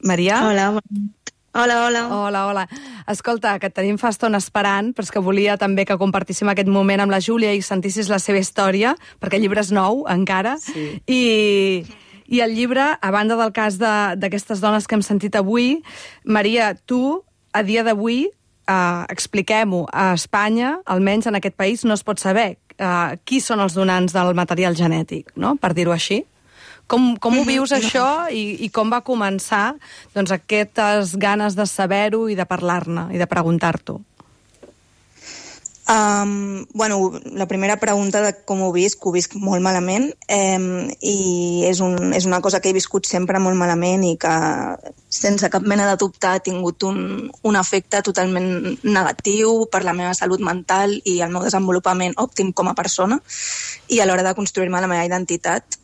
Maria. Hola, bona nit. Hola, hola. Hola, hola. Escolta, que et tenim fa estona esperant, però és que volia també que compartíssim aquest moment amb la Júlia i sentissis la seva història, perquè el llibre és nou, encara. Sí. I, I el llibre, a banda del cas d'aquestes dones que hem sentit avui, Maria, tu, a dia d'avui, eh, expliquem-ho, a Espanya, almenys en aquest país, no es pot saber eh, qui són els donants del material genètic, no?, per dir-ho així. Com, com ho vius, això, i, i com va començar doncs, aquestes ganes de saber-ho i de parlar-ne i de preguntar-t'ho? Um, bueno, la primera pregunta de com ho visc, ho visc molt malament, eh, i és, un, és una cosa que he viscut sempre molt malament i que sense cap mena de dubte ha tingut un, un efecte totalment negatiu per la meva salut mental i el meu desenvolupament òptim com a persona i a l'hora de construir-me la meva identitat.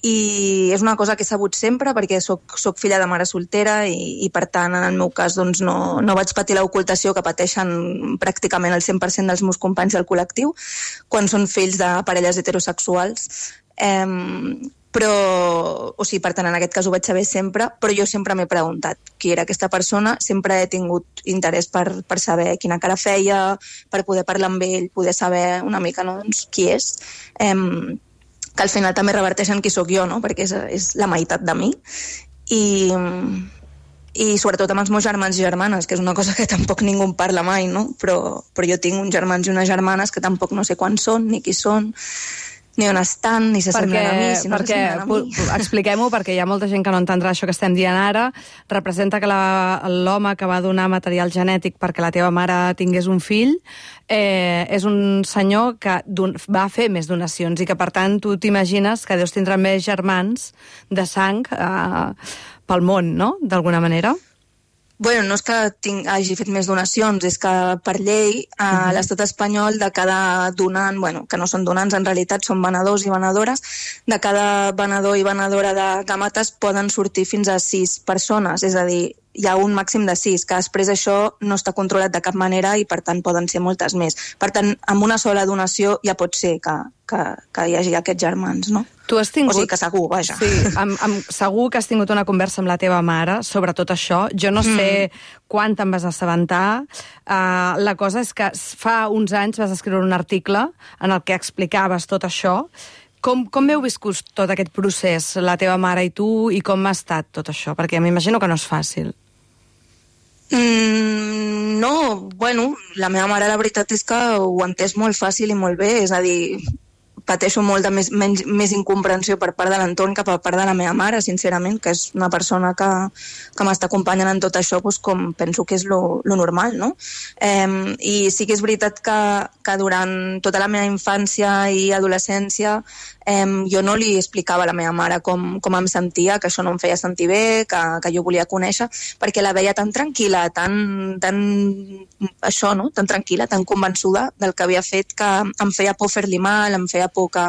I és una cosa que he sabut sempre perquè soc, soc filla de mare soltera i, i per tant, en el meu cas, doncs, no, no vaig patir l'ocultació que pateixen pràcticament el cent per cent dels meus companys del col·lectiu quan són fills de parelles heterosexuals. Eh, però, o sigui, per tant, en aquest cas ho vaig saber sempre, però jo sempre m'he preguntat qui era aquesta persona, sempre he tingut interès per, per saber quina cara feia, per poder parlar amb ell, poder saber una mica, no, doncs, qui és. Eh, que al final també reverteixen qui sóc jo, no?, perquè és, és la meitat de mi. I, i sobretot amb els meus germans i germanes, que és una cosa que tampoc ningú en parla mai, no? Però, però jo tinc uns germans i unes germanes que tampoc no sé quan són, ni qui són, ni on estan, ni se semblen a mi, si no perquè, se semblen a mi. Expliquem-ho, perquè hi ha molta gent que no entendrà això que estem dient ara. Representa que la, l'home que va donar material genètic perquè la teva mare tingués un fill eh, és un senyor que don, va fer més donacions i que, per tant, tu t'imagines que deus tindre més germans de sang eh, pel món, no?, d'alguna manera. Bueno, no és que tinc, hagi fet més donacions, és que per llei a uh-huh. l'estat espanyol de cada donant, bueno, que no són donants en realitat, són venedors i venedores, de cada venedor i venedora de gàmetes poden sortir fins a sis persones, és a dir, hi ha un màxim de sis, que després això no està controlat de cap manera i per tant poden ser moltes més. Per tant, amb una sola donació ja pot ser que, que, que hi hagi aquests germans, no? Tu has tingut... O sigui que segur, vaja. Sí, amb, amb, segur que has tingut una conversa amb la teva mare sobre tot això. Jo no sé mm. quan te'n vas assabentar. Uh, la cosa és que fa uns anys vas escriure un article en el que explicaves tot això. Com, com heu viscut tot aquest procés, la teva mare i tu, i com ha estat tot això? Perquè m'imagino que no és fàcil. Mm, no, bueno, la meva mare la veritat és que ho ha entès molt fàcil i molt bé, és a dir, pateixo molt de més, menys, més incomprensió per part de l'entorn que per part de la meva mare, sincerament, que és una persona que, que m'està acompanyant en tot això, doncs, com penso que és lo, lo normal, no? Eh, I sí que és veritat que, que durant tota la meva infància i adolescència eh, jo no li explicava a la meva mare com, com em sentia, que això no em feia sentir bé, que, que jo volia conèixer, perquè la veia tan tranquil·la, tan, tan això, no? Tan tranquil·la, tan convençuda del que havia fet, que em feia por fer-li mal, em feia por que,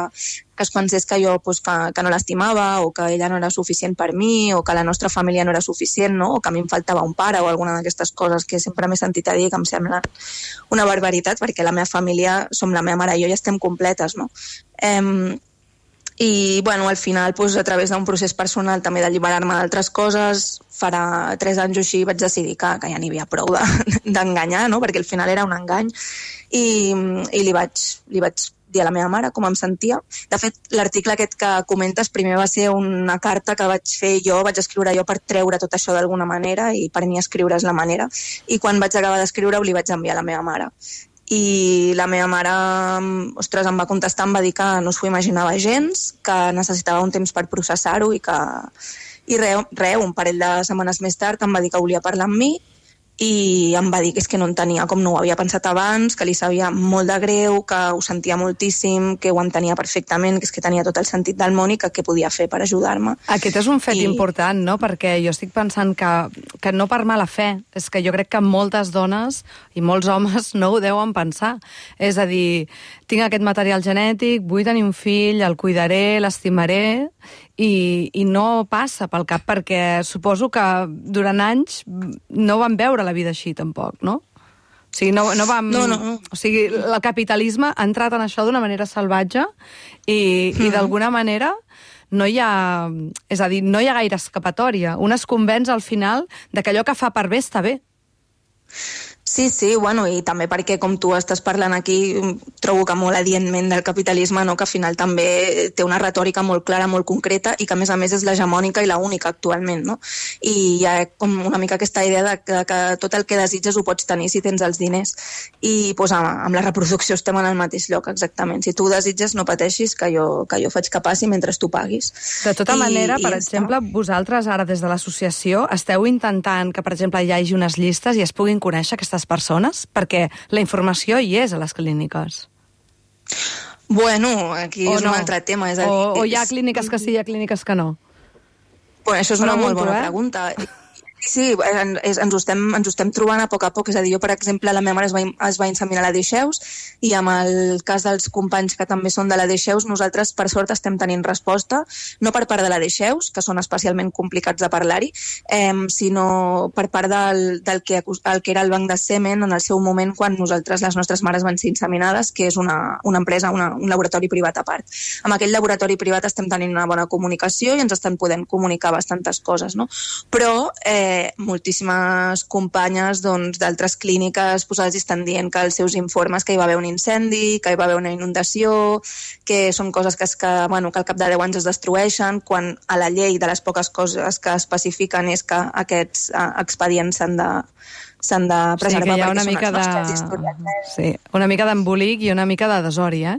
que es pensés que jo pues, que, que no l'estimava o que ella no era suficient per mi o que la nostra família no era suficient, no? O que a mi em faltava un pare o alguna d'aquestes coses que sempre m'he sentit a dir que em sembla una barbaritat perquè la meva família, som la meva mare i jo i estem completes, no? Eh, i bueno, al final pues, a través d'un procés personal també d'alliberar-me d'altres coses, farà tres anys o així vaig decidir que, que ja n'hi havia prou d'enganyar, no? Perquè al final era un engany i, i li vaig, li vaig dir a la meva mare com em sentia. De fet, l'article aquest que comentes primer va ser una carta que vaig fer jo, vaig escriure jo per treure tot això d'alguna manera i per mi escriure és la manera, i quan vaig acabar d'escriure-ho li vaig enviar a la meva mare. I la meva mare, ostres, em va contestar, em va dir que no s'ho imaginava gens, que necessitava un temps per processar-ho i que... I res, re, un parell de setmanes més tard em va dir que volia parlar amb mi i em va dir que és que no entenia com no ho havia pensat abans, que li sabia molt de greu, que ho sentia moltíssim, que ho entenia perfectament, que és que tenia tot el sentit del món i que què podia fer per ajudar-me. Aquest és un fet I... important, no? Perquè jo estic pensant que, que no per mala fe, és que jo crec que moltes dones i molts homes no ho deuen pensar. És a dir, tinc aquest material genètic, vull tenir un fill, el cuidaré, l'estimaré, i, i no passa pel cap, perquè suposo que durant anys no van veure la vida així, tampoc, no? O sigui, no, no vam... No, no, no. O sigui, el capitalisme ha entrat en això d'una manera salvatge i, mm. i d'alguna manera no hi ha... És a dir, no hi ha gaire escapatòria. Un es convenç al final de que allò que fa per bé està bé. Sí, sí, bueno, i també perquè, com tu estàs parlant aquí, trobo que molt adientment del capitalisme, no? Que al final també té una retòrica molt clara, molt concreta, i que a més a més és l'hegemònica i la única actualment, no? I hi ha com una mica aquesta idea de que, que tot el que desitges ho pots tenir si tens els diners. I pues, amb la reproducció estem en el mateix lloc, exactament. Si tu ho desitges, no pateixis, que jo, que jo faig que passi mentre tu paguis. De tota I, manera, i per exemple, està. Vosaltres ara des de l'associació esteu intentant que, per exemple, hi hagi unes llistes i es puguin conèixer aquestes persones, perquè la informació hi és a les clíniques. Bueno, aquí o és no. un altre tema. És a o, dir, o hi ha clíniques que sí, hi ha clíniques que no? Bueno, això és una Pregunto, molt bona eh? pregunta. Sí, en, és, ens, ho estem, ens ho estem trobant a poc a poc. És a dir, jo, per exemple, la meva mare es va, es va inseminar a la Deixeus i amb el cas dels companys que també són de la Deixeus, nosaltres, per sort, estem tenint resposta, no per part de la Deixeus, que són especialment complicats de parlar-hi, eh, sinó per part del, del que, el que era el banc de semen en el seu moment quan nosaltres, les nostres mares van ser inseminades, que és una, una empresa, una, un laboratori privat a part. Amb aquell laboratori privat estem tenint una bona comunicació i ens estan podent comunicar bastantes coses, no? Però eh, eh, moltíssimes companyes doncs, d'altres clíniques posades i estan dient que els seus informes que hi va haver un incendi, que hi va haver una inundació, que són coses que, es, que, bueno, que al cap de deu anys es destrueixen, quan a la llei de les poques coses que especifiquen és que aquests eh, expedients s'han de s'han de preservar, sí, perquè una són mica els nostres de... historiadors. Sí, una mica d'embolic i una mica de desori, eh?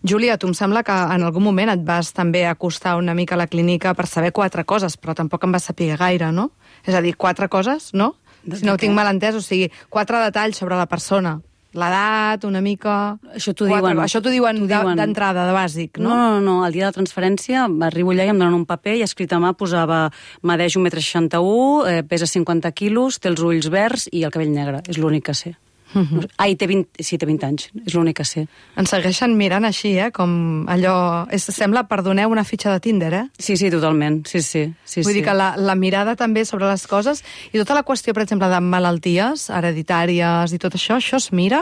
Júlia, tu em sembla que en algun moment et vas també acostar una mica a la clínica per saber quatre coses, però tampoc en vas saber gaire, no? És a dir, quatre coses, no? Si no ho tinc mal entès, o sigui, quatre detalls sobre la persona. L'edat, una mica... Això t'ho diuen. Això t'ho diuen d'entrada, de bàsic, no? No, no, no. El dia de la transferència arribo allà i em donen un paper i escrit a mà posava medeix un metre seixanta-u, eh, pesa cinquanta quilos, té els ulls verds i el cabell negre. És l'únic que sé. Uh-huh. Ai, té vint, sí, té vint anys. És l'únic que sé. Ens segueixen mirant així, eh? Com allò... És, sembla, perdoneu, una fitxa de Tinder, eh? Sí, sí, totalment. Sí, sí. sí Vull sí. dir que la, la mirada també sobre les coses i tota la qüestió, per exemple, de malalties hereditàries i tot això, això es mira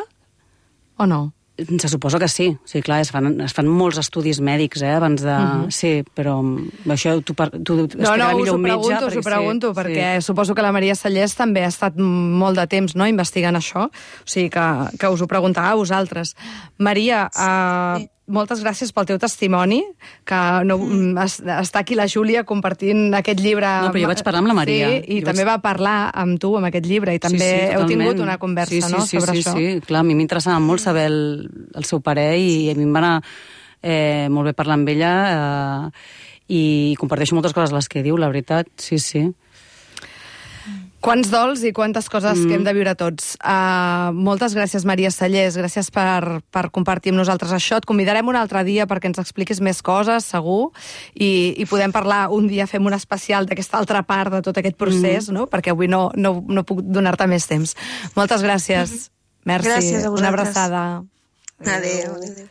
o no? Se suposa que sí. Sí, clar, es fan, es fan molts estudis mèdics, eh, abans de... Uh-huh. Sí, però això tu, tu no, no, us ho pregunto, us ho pregunto, sí, perquè sí. Suposo que la Maria Sallés també ha estat molt de temps, no?, investigant això. O sigui, que, que us ho preguntava a vosaltres. Maria, uh, moltes gràcies pel teu testimoni, que no, mm. es, està aquí la Júlia compartint aquest llibre... No, però jo vaig parlar amb la Maria. Sí, i jo també vaig... va parlar amb tu amb aquest llibre, i també sí, sí, heu tingut una conversa, sí, sí, no?, sí, sobre sí, això. Sí, sí, clar, a mi m'interessava molt saber el, el seu parer i a mi em va anar eh, molt bé parlar amb ella eh, i comparteixo moltes coses les que diu, la veritat, sí, sí. Quants dols i quantes coses mm. que hem de viure tots. Uh, moltes gràcies, Maria Sallés. Gràcies per, per compartir amb nosaltres això. Et convidarem un altre dia perquè ens expliquis més coses, segur, i, i podem parlar un dia, fem un especial d'aquesta altra part de tot aquest procés, mm. no? Perquè avui no, no, no puc donar-te més temps. Moltes gràcies. Merci. Gràcies a vosaltres. Una abraçada. Adéu. Adéu.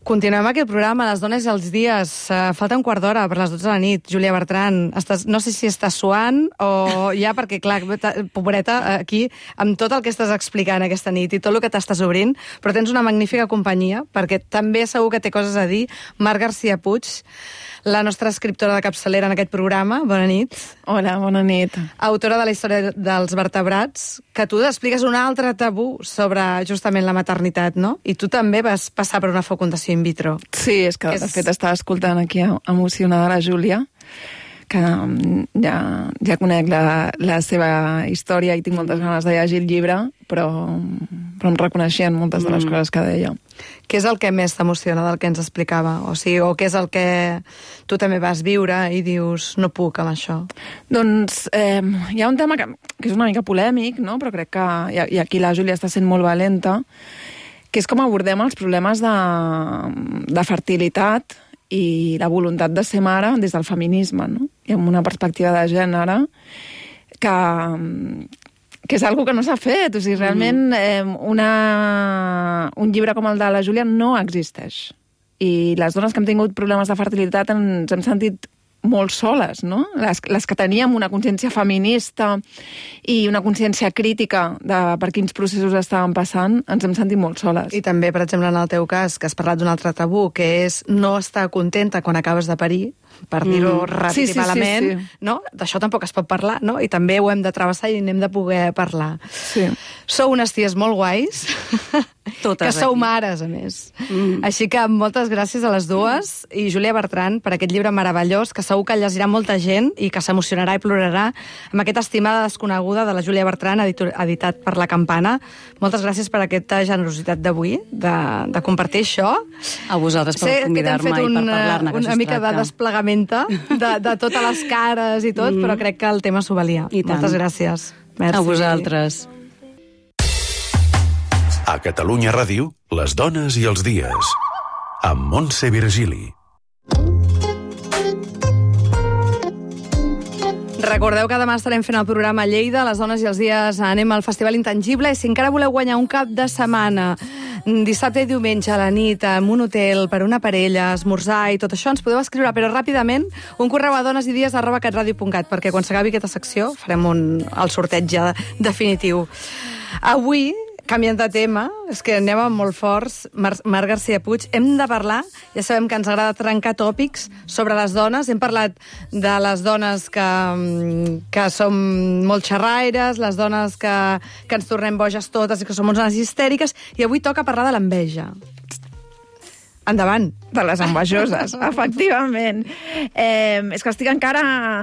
Continuem aquest programa, les dones i els dies. Uh, falta un quart d'hora per les dotze de la nit. Júlia Bertran, estàs, no sé si estàs suant o ja, perquè, clar, pobreta, aquí, amb tot el que estàs explicant aquesta nit i tot el que t'estàs obrint, però tens una magnífica companyia, perquè també segur que té coses a dir. Marc García Puig, la nostra escriptora de capçalera en aquest programa. Bona nit. Hola, bona nit. Autora de la història dels vertebrats, que tu expliques un altre tabú sobre justament la maternitat, no? I tu també vas passar per una fecundació in vitro. Sí, és que, de fet, estava escoltant aquí emocionada la Júlia, que ja, ja conec la, la seva història i tinc moltes ganes de llegir el llibre, però, però em reconeixien moltes de les mm. coses que deia. Què és el que més t'emociona del que ens explicava? O sigui, o què és el que tu també vas viure i dius, no puc amb això? Doncs eh, hi ha un tema que, que és una mica polèmic, no? Però crec que, i, i aquí la Júlia està sent molt valenta, que és com abordem els problemes de, de fertilitat i la voluntat de ser mare des del feminisme, no? I amb una perspectiva de gènere que, que és algo que no s'ha fet. O sigui, realment eh, una, un llibre com el de la Júlia no existeix. I les dones que hem tingut problemes de fertilitat ens hem sentit molt soles, no? Les, les que teníem una consciència feminista i una consciència crítica de per quins processos estaven passant, ens hem sentit molt soles. I també, per exemple, en el teu cas, que has parlat d'un altre tabú, que és no estar contenta quan acabes de parir, per dir-ho mm. ràpid sí, sí, i malament, sí, sí. No? D'això tampoc es pot parlar, no? I també ho hem de travessar i n'hem de poder parlar. Sí. Sou unes ties molt guais, totes que sou aquí. Mares, a més. Mm. Així que moltes gràcies a les dues mm. i Júlia Bertran per aquest llibre meravellós que segur que llegirà molta gent i que s'emocionarà i plorarà amb aquesta estimada desconeguda de la Júlia Bertran, editat per La Campana. Moltes gràcies per aquesta generositat d'avui, de, de compartir això. A vosaltres per convidar-me i per parlar-ne, que una mica de desplegament de, de totes les cares i tot, mm. però crec que el tema s'ho valia. I tant. Moltes gràcies. Merci. A vosaltres. A Catalunya Ràdio, les dones i els dies. Amb Montse Virgili. Recordeu que demà estarem fent el programa a Lleida, les dones i els dies anem al Festival Intangible, i si encara voleu guanyar un cap de setmana, dissabte i diumenge a la nit, en un hotel, per una parella, esmorzar i tot això, ens podeu escriure, però ràpidament, un correu a donesidies arroba catradio punt cat, perquè quan s'acabi aquesta secció farem un, el sorteig ja definitiu. Avui canviant de tema, és que anem molt forts, Mar Marc García Puig, hem de parlar, ja sabem que ens agrada trencar tòpics sobre les dones, hem parlat de les dones que, que som molt xerraires, les dones que, que ens tornem boges totes i que som unes histèriques, i avui toca parlar de l'enveja. Endavant. De les envejoses, efectivament. Eh, és que estic encara...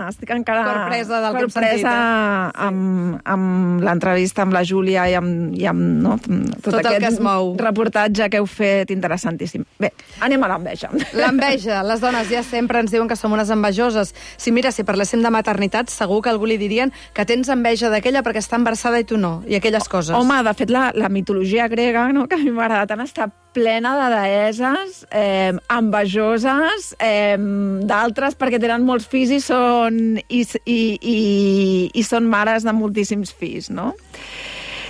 Estic encara Corpresa del que hem corpresa sentit, eh? amb, amb l'entrevista amb la Júlia i amb, i amb no, tot, Tot el aquest que es mou. reportatge que heu fet interessantíssim. Bé, anem a l'enveja. L'enveja. Les dones ja sempre ens diuen que som unes envejoses. Si mira, si parléssim de maternitat, segur que algú li dirien que tens enveja d'aquella perquè està embarassada i tu no, i aquelles coses. Home, de fet, la, la mitologia grega, no, que a mi m'agrada tant, està plena de deeses eh, envejoses, eh, d'altres perquè tenen molts fills i són, i, i, i, i són mares de moltíssims fills, no?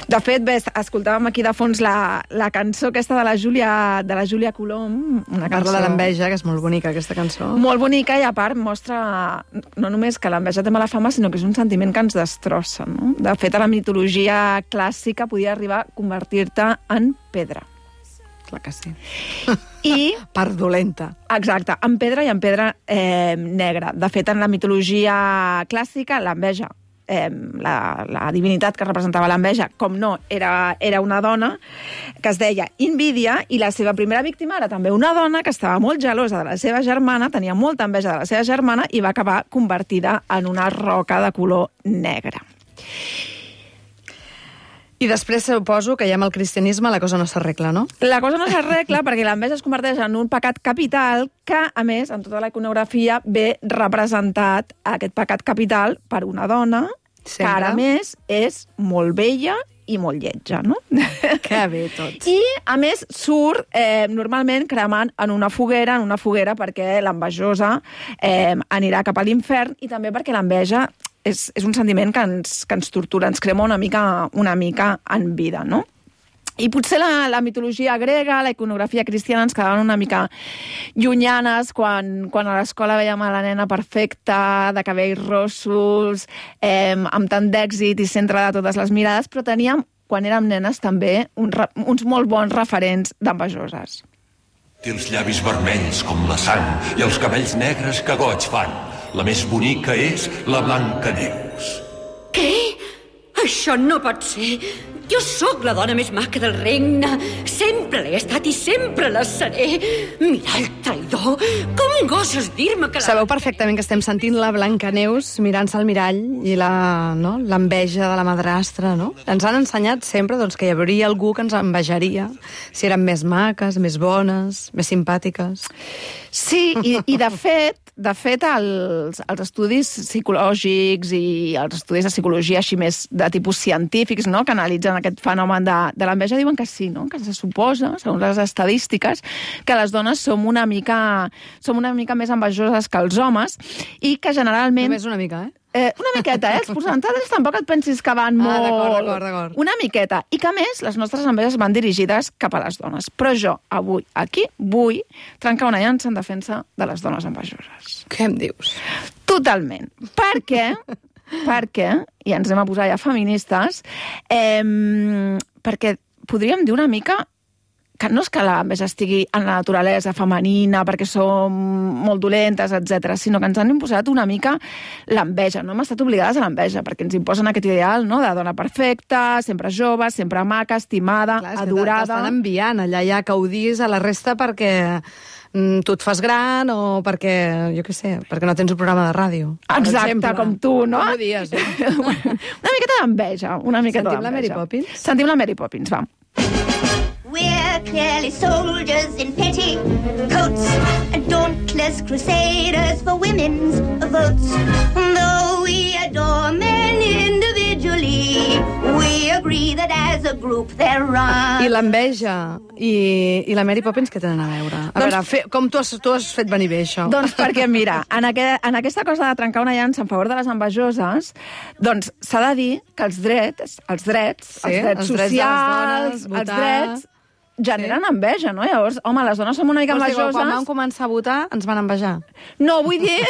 De fet, bé, escoltàvem aquí de fons la, la cançó aquesta de la Júlia, de la Júlia Colom. Una cançó... Parla de l'enveja, que és molt bonica, aquesta cançó. Molt bonica, i a part mostra no només que l'enveja té mala fama, sinó que és un sentiment que ens destrossa, no? De fet, a la mitologia clàssica podia arribar a convertir-te en pedra. Clar que sí. I... part dolenta. Exacte, en pedra i en pedra eh, negra. De fet, en la mitologia clàssica, l'enveja, eh, la, la divinitat que representava l'enveja, com no, era, era una dona que es deia Invídia, i la seva primera víctima era també una dona que estava molt gelosa de la seva germana, tenia molta enveja de la seva germana i va acabar convertida en una roca de color negre. I després suposo que ja amb el cristianisme la cosa no s'arregla, no? La cosa no s'arregla perquè l'enveja es converteix en un pecat capital que, a més, en tota la iconografia ve representat aquest pecat capital per una dona Sempre. que, ara més, és molt vella i molt lletja, no? Que bé, tot. I, a més, surt eh, normalment cremant en una foguera, en una foguera perquè l'envejosa eh, anirà cap a l'infern, i també perquè l'enveja és, és un sentiment que ens, que ens tortura, ens crema una mica, una mica en vida, no? I potser la, la mitologia grega, la iconografia cristiana ens quedaven una mica llunyanes quan, quan a l'escola veiem a la nena perfecta, de cabells rossos, eh, amb tant d'èxit i centre de totes les mirades, però teníem, quan érem nenes, també un, uns molt bons referents d'envejoses. Té els llavis vermells com la sang i els cabells negres que goig fan. La més bonica és la Blancaneus. Què? Això no pot ser. Jo sóc la dona més maca del regne. Sempre l'he estat i sempre la seré. Mira el traïdor. Com goses dir-me que la... Sabeu perfectament que estem sentint la Blancaneus mirant-se al mirall i la, no, l'enveja de la madrastra, no? Ens han ensenyat sempre doncs, que hi hauria algú que ens envejaria si eren més maques, més bones, més simpàtiques. Sí, i, i de fet, de fet els, els estudis psicològics i els estudis de psicologia així més de tipus científics, no?, que analitzen aquest fenomen de, de l'enveja, diuen que sí, no?, que se suposa, segons les estadístiques, que les dones som una mica, som una mica més envejoses que els homes i que generalment... Només una mica, eh? Eh, una miqueta, eh? Els percentatges tampoc et pensis que van molt... Ah, d'acord, d'acord, d'acord. Una miqueta. I que, a més, les nostres enveges van dirigides cap a les dones. Però jo, avui, aquí, vull trencar una llança en defensa de les dones envejoses. Què em dius? Totalment. Perquè, perquè, i ens hem a posar ja feministes, eh, perquè podríem dir una mica que no és que l'enveja estigui en la naturalesa femenina perquè som molt dolentes, etcètera, sinó que ens han imposat una mica l'enveja. No hem estat obligades a l'enveja, perquè ens imposen aquest ideal, no?, de dona perfecta, sempre jove, sempre maca, estimada, Clar, adorada... T'estan enviant allà ja que ho diguis a la resta perquè mm, tu et fas gran o perquè, jo què sé, perquè no tens un programa de ràdio. Exacte, exemple. Com tu, no? Com ho dies, no? Una miqueta d'enveja, una miqueta Sentim d'enveja. la Mary Poppins? Sentim la Mary Poppins, va. We're clearly soldiers in petticoats, dauntless crusaders for women's votes. Though we adore men individually, we agree that as a group they're wrong. I l'enveja i, i la Mary Poppins què tenen a veure? A doncs, veure, fe, com tu has, tu has fet venir bé, això? Doncs perquè, mira, en, aquest, en aquesta cosa de trencar una llança en favor de les envejoses, doncs s'ha de dir que els drets, els drets, sí, els drets els socials, drets de les dones, els drets... generen sí. enveja, no? Llavors, home, les dones som una mica Vols envejoses... Dir, quan vam començar a votar, ens van envejar. No, vull dir...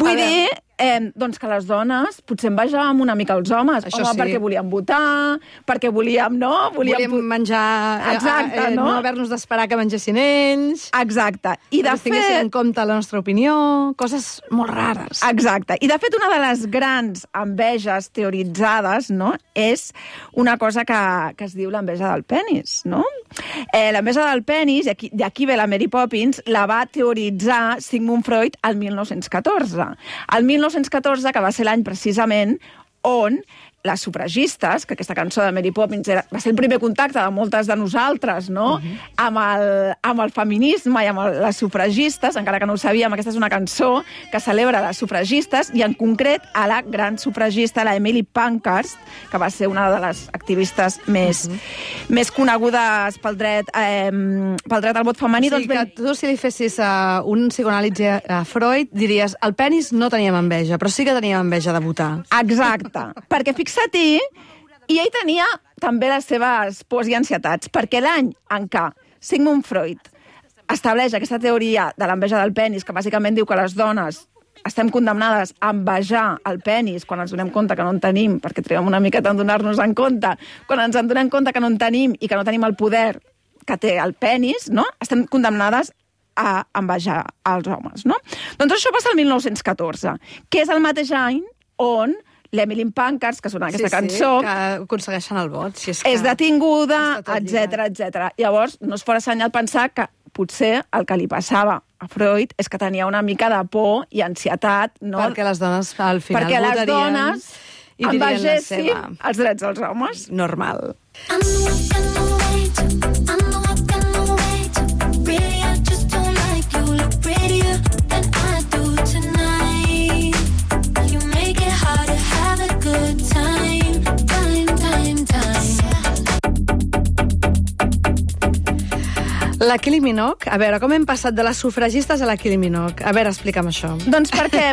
vull dir Eh, doncs que les dones potser envejàvem una mica els homes. Això Home, sí. perquè volíem votar, perquè volíem, no? Volíem, volíem menjar... Exacte, eh, eh, no? No haver-nos d'esperar que mengessin ells. Exacte. I de que tinguessin fet... en compte la nostra opinió, coses molt rares. Exacte. I de fet, una de les grans enveges teoritzades, no?, és una cosa que, que es diu l'enveja del penis, no? Eh, l'enveja del penis, i aquí, d'aquí ve la Mary Poppins, la va teoritzar Sigmund Freud al mil nou-cents catorze. El mil nou-cents catorze, que va ser l'any precisament on les sufragistes, que aquesta cançó de Mary Poppins era, va ser el primer contacte de moltes de nosaltres, no?, uh-huh. amb, el, amb el feminisme i amb el, les sufragistes, encara que no ho sabíem, aquesta és una cançó que celebra les sufragistes, i en concret a la gran sufragista, la Emily Pankhurst, que va ser una de les activistes més, uh-huh. més conegudes pel dret, eh, pel dret al vot femení. O sigui, doncs ben... que tu, si li fessis uh, un psicoanàlisi a Freud, diries, el penis no teníem enveja, però sí que teníem enveja de votar. Exacte. Perquè fixa-t'hi, i ell tenia també les seves pors i ansietats, perquè l'any en què Sigmund Freud estableix aquesta teoria de l'enveja del penis, que bàsicament diu que les dones estem condemnades a envejar el penis quan ens donem compte que no en tenim, perquè triguem una miqueta en donar-nos en compte, quan ens en donem compte que no en tenim i que no tenim el poder que té el penis, no? Estem condemnades a envejar els homes, no? Doncs això passa el mil nou-cents catorze, que és el mateix any on l'Emily Pankhurst, que sona aquesta sí, cançó... Sí, que aconsegueixen el vot. Si és, que és detinguda, etcètera, etcètera. Llavors, no es fora senyal pensar que potser el que li passava a Freud és que tenia una mica de por i ansietat, no? Perquè les dones al final Perquè les votarien dones i dirien la envegessin seva. els drets dels homes. Normal. La Kylie Minogue, a veure, com hem passat de les sufragistes a la Kylie Minogue? A veure, explica'm això. Doncs perquè,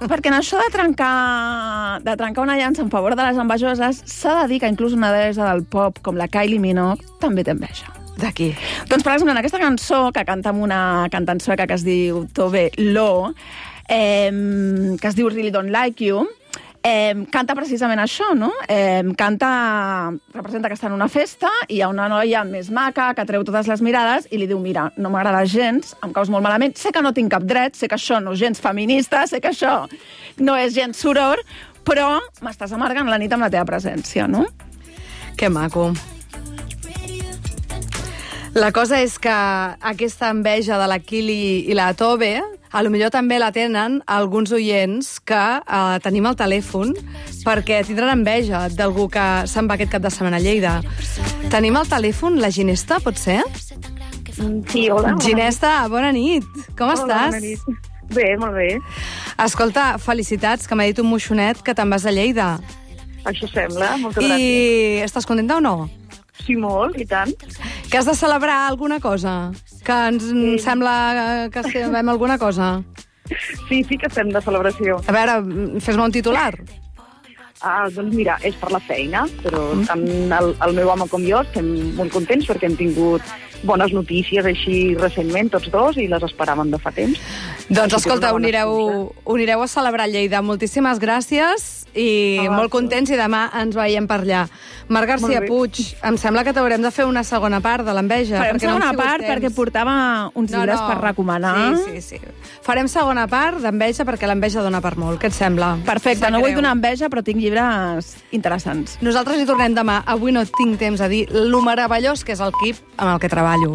perquè en això de trencar, de trencar una llança en favor de les envejoses, s'ha de dir que inclús una deessa del pop, com la Kylie Minogue, també té enveja. De qui? Doncs, per exemple, en aquesta cançó, que canta amb una cantant sueca que es diu Tove Lo, eh, que es diu Really Don't Like You, Eh, canta precisament això, no? Eh, canta, representa que està en una festa i hi ha una noia més maca que treu totes les mirades i li diu, mira, no m'agrada gens, em caus molt malament, sé que no tinc cap dret, sé que això no és gens feminista, sé que això no és gens soror, però m'estàs amargant la nit amb la teva presència, no? Que maco. La cosa és que aquesta enveja de la Kylie i la Tove, a lo millor també la tenen alguns oients que eh, tenim al telèfon perquè tindran enveja d'algú que se'n va aquest cap de setmana a Lleida. Tenim al telèfon la Ginesta, pot ser? Sí, hola. Ginesta, bona nit. Com hola, estàs? Bona nit. Bé, molt bé. Escolta, felicitats, que m'ha dit un moixonet que te'n vas a Lleida. Això sembla, moltes I gràcies. I estàs contenta o no? Sí, molt, i tant. Que has de celebrar alguna cosa? Que ens sí. sembla que celebrem alguna cosa? Sí, sí que estem de celebració. A veure, fes-me un titular. Ah, doncs mira, és per la feina, però tant el, el meu home com jo estem molt contents perquè hem tingut bones notícies així recentment, tots dos, i les esperàvem de fa temps. Doncs escolta, unireu, unireu a celebrar Lleida. Moltíssimes gràcies i ah, molt contents, i demà ens veiem per allà. Marc García Puig, em sembla que t'haurem de fer una segona part de l'enveja. Farem segona no part perquè portava uns no, llibres no. per recomanar. Sí, sí, sí. Farem segona part d'enveja perquè l'enveja dona per molt. Què et sembla? Perfecte, no vull donar enveja, però tinc llibres interessants. Nosaltres hi tornem demà. Avui no tinc temps a dir lo meravellós que és el Quip amb el que treballo.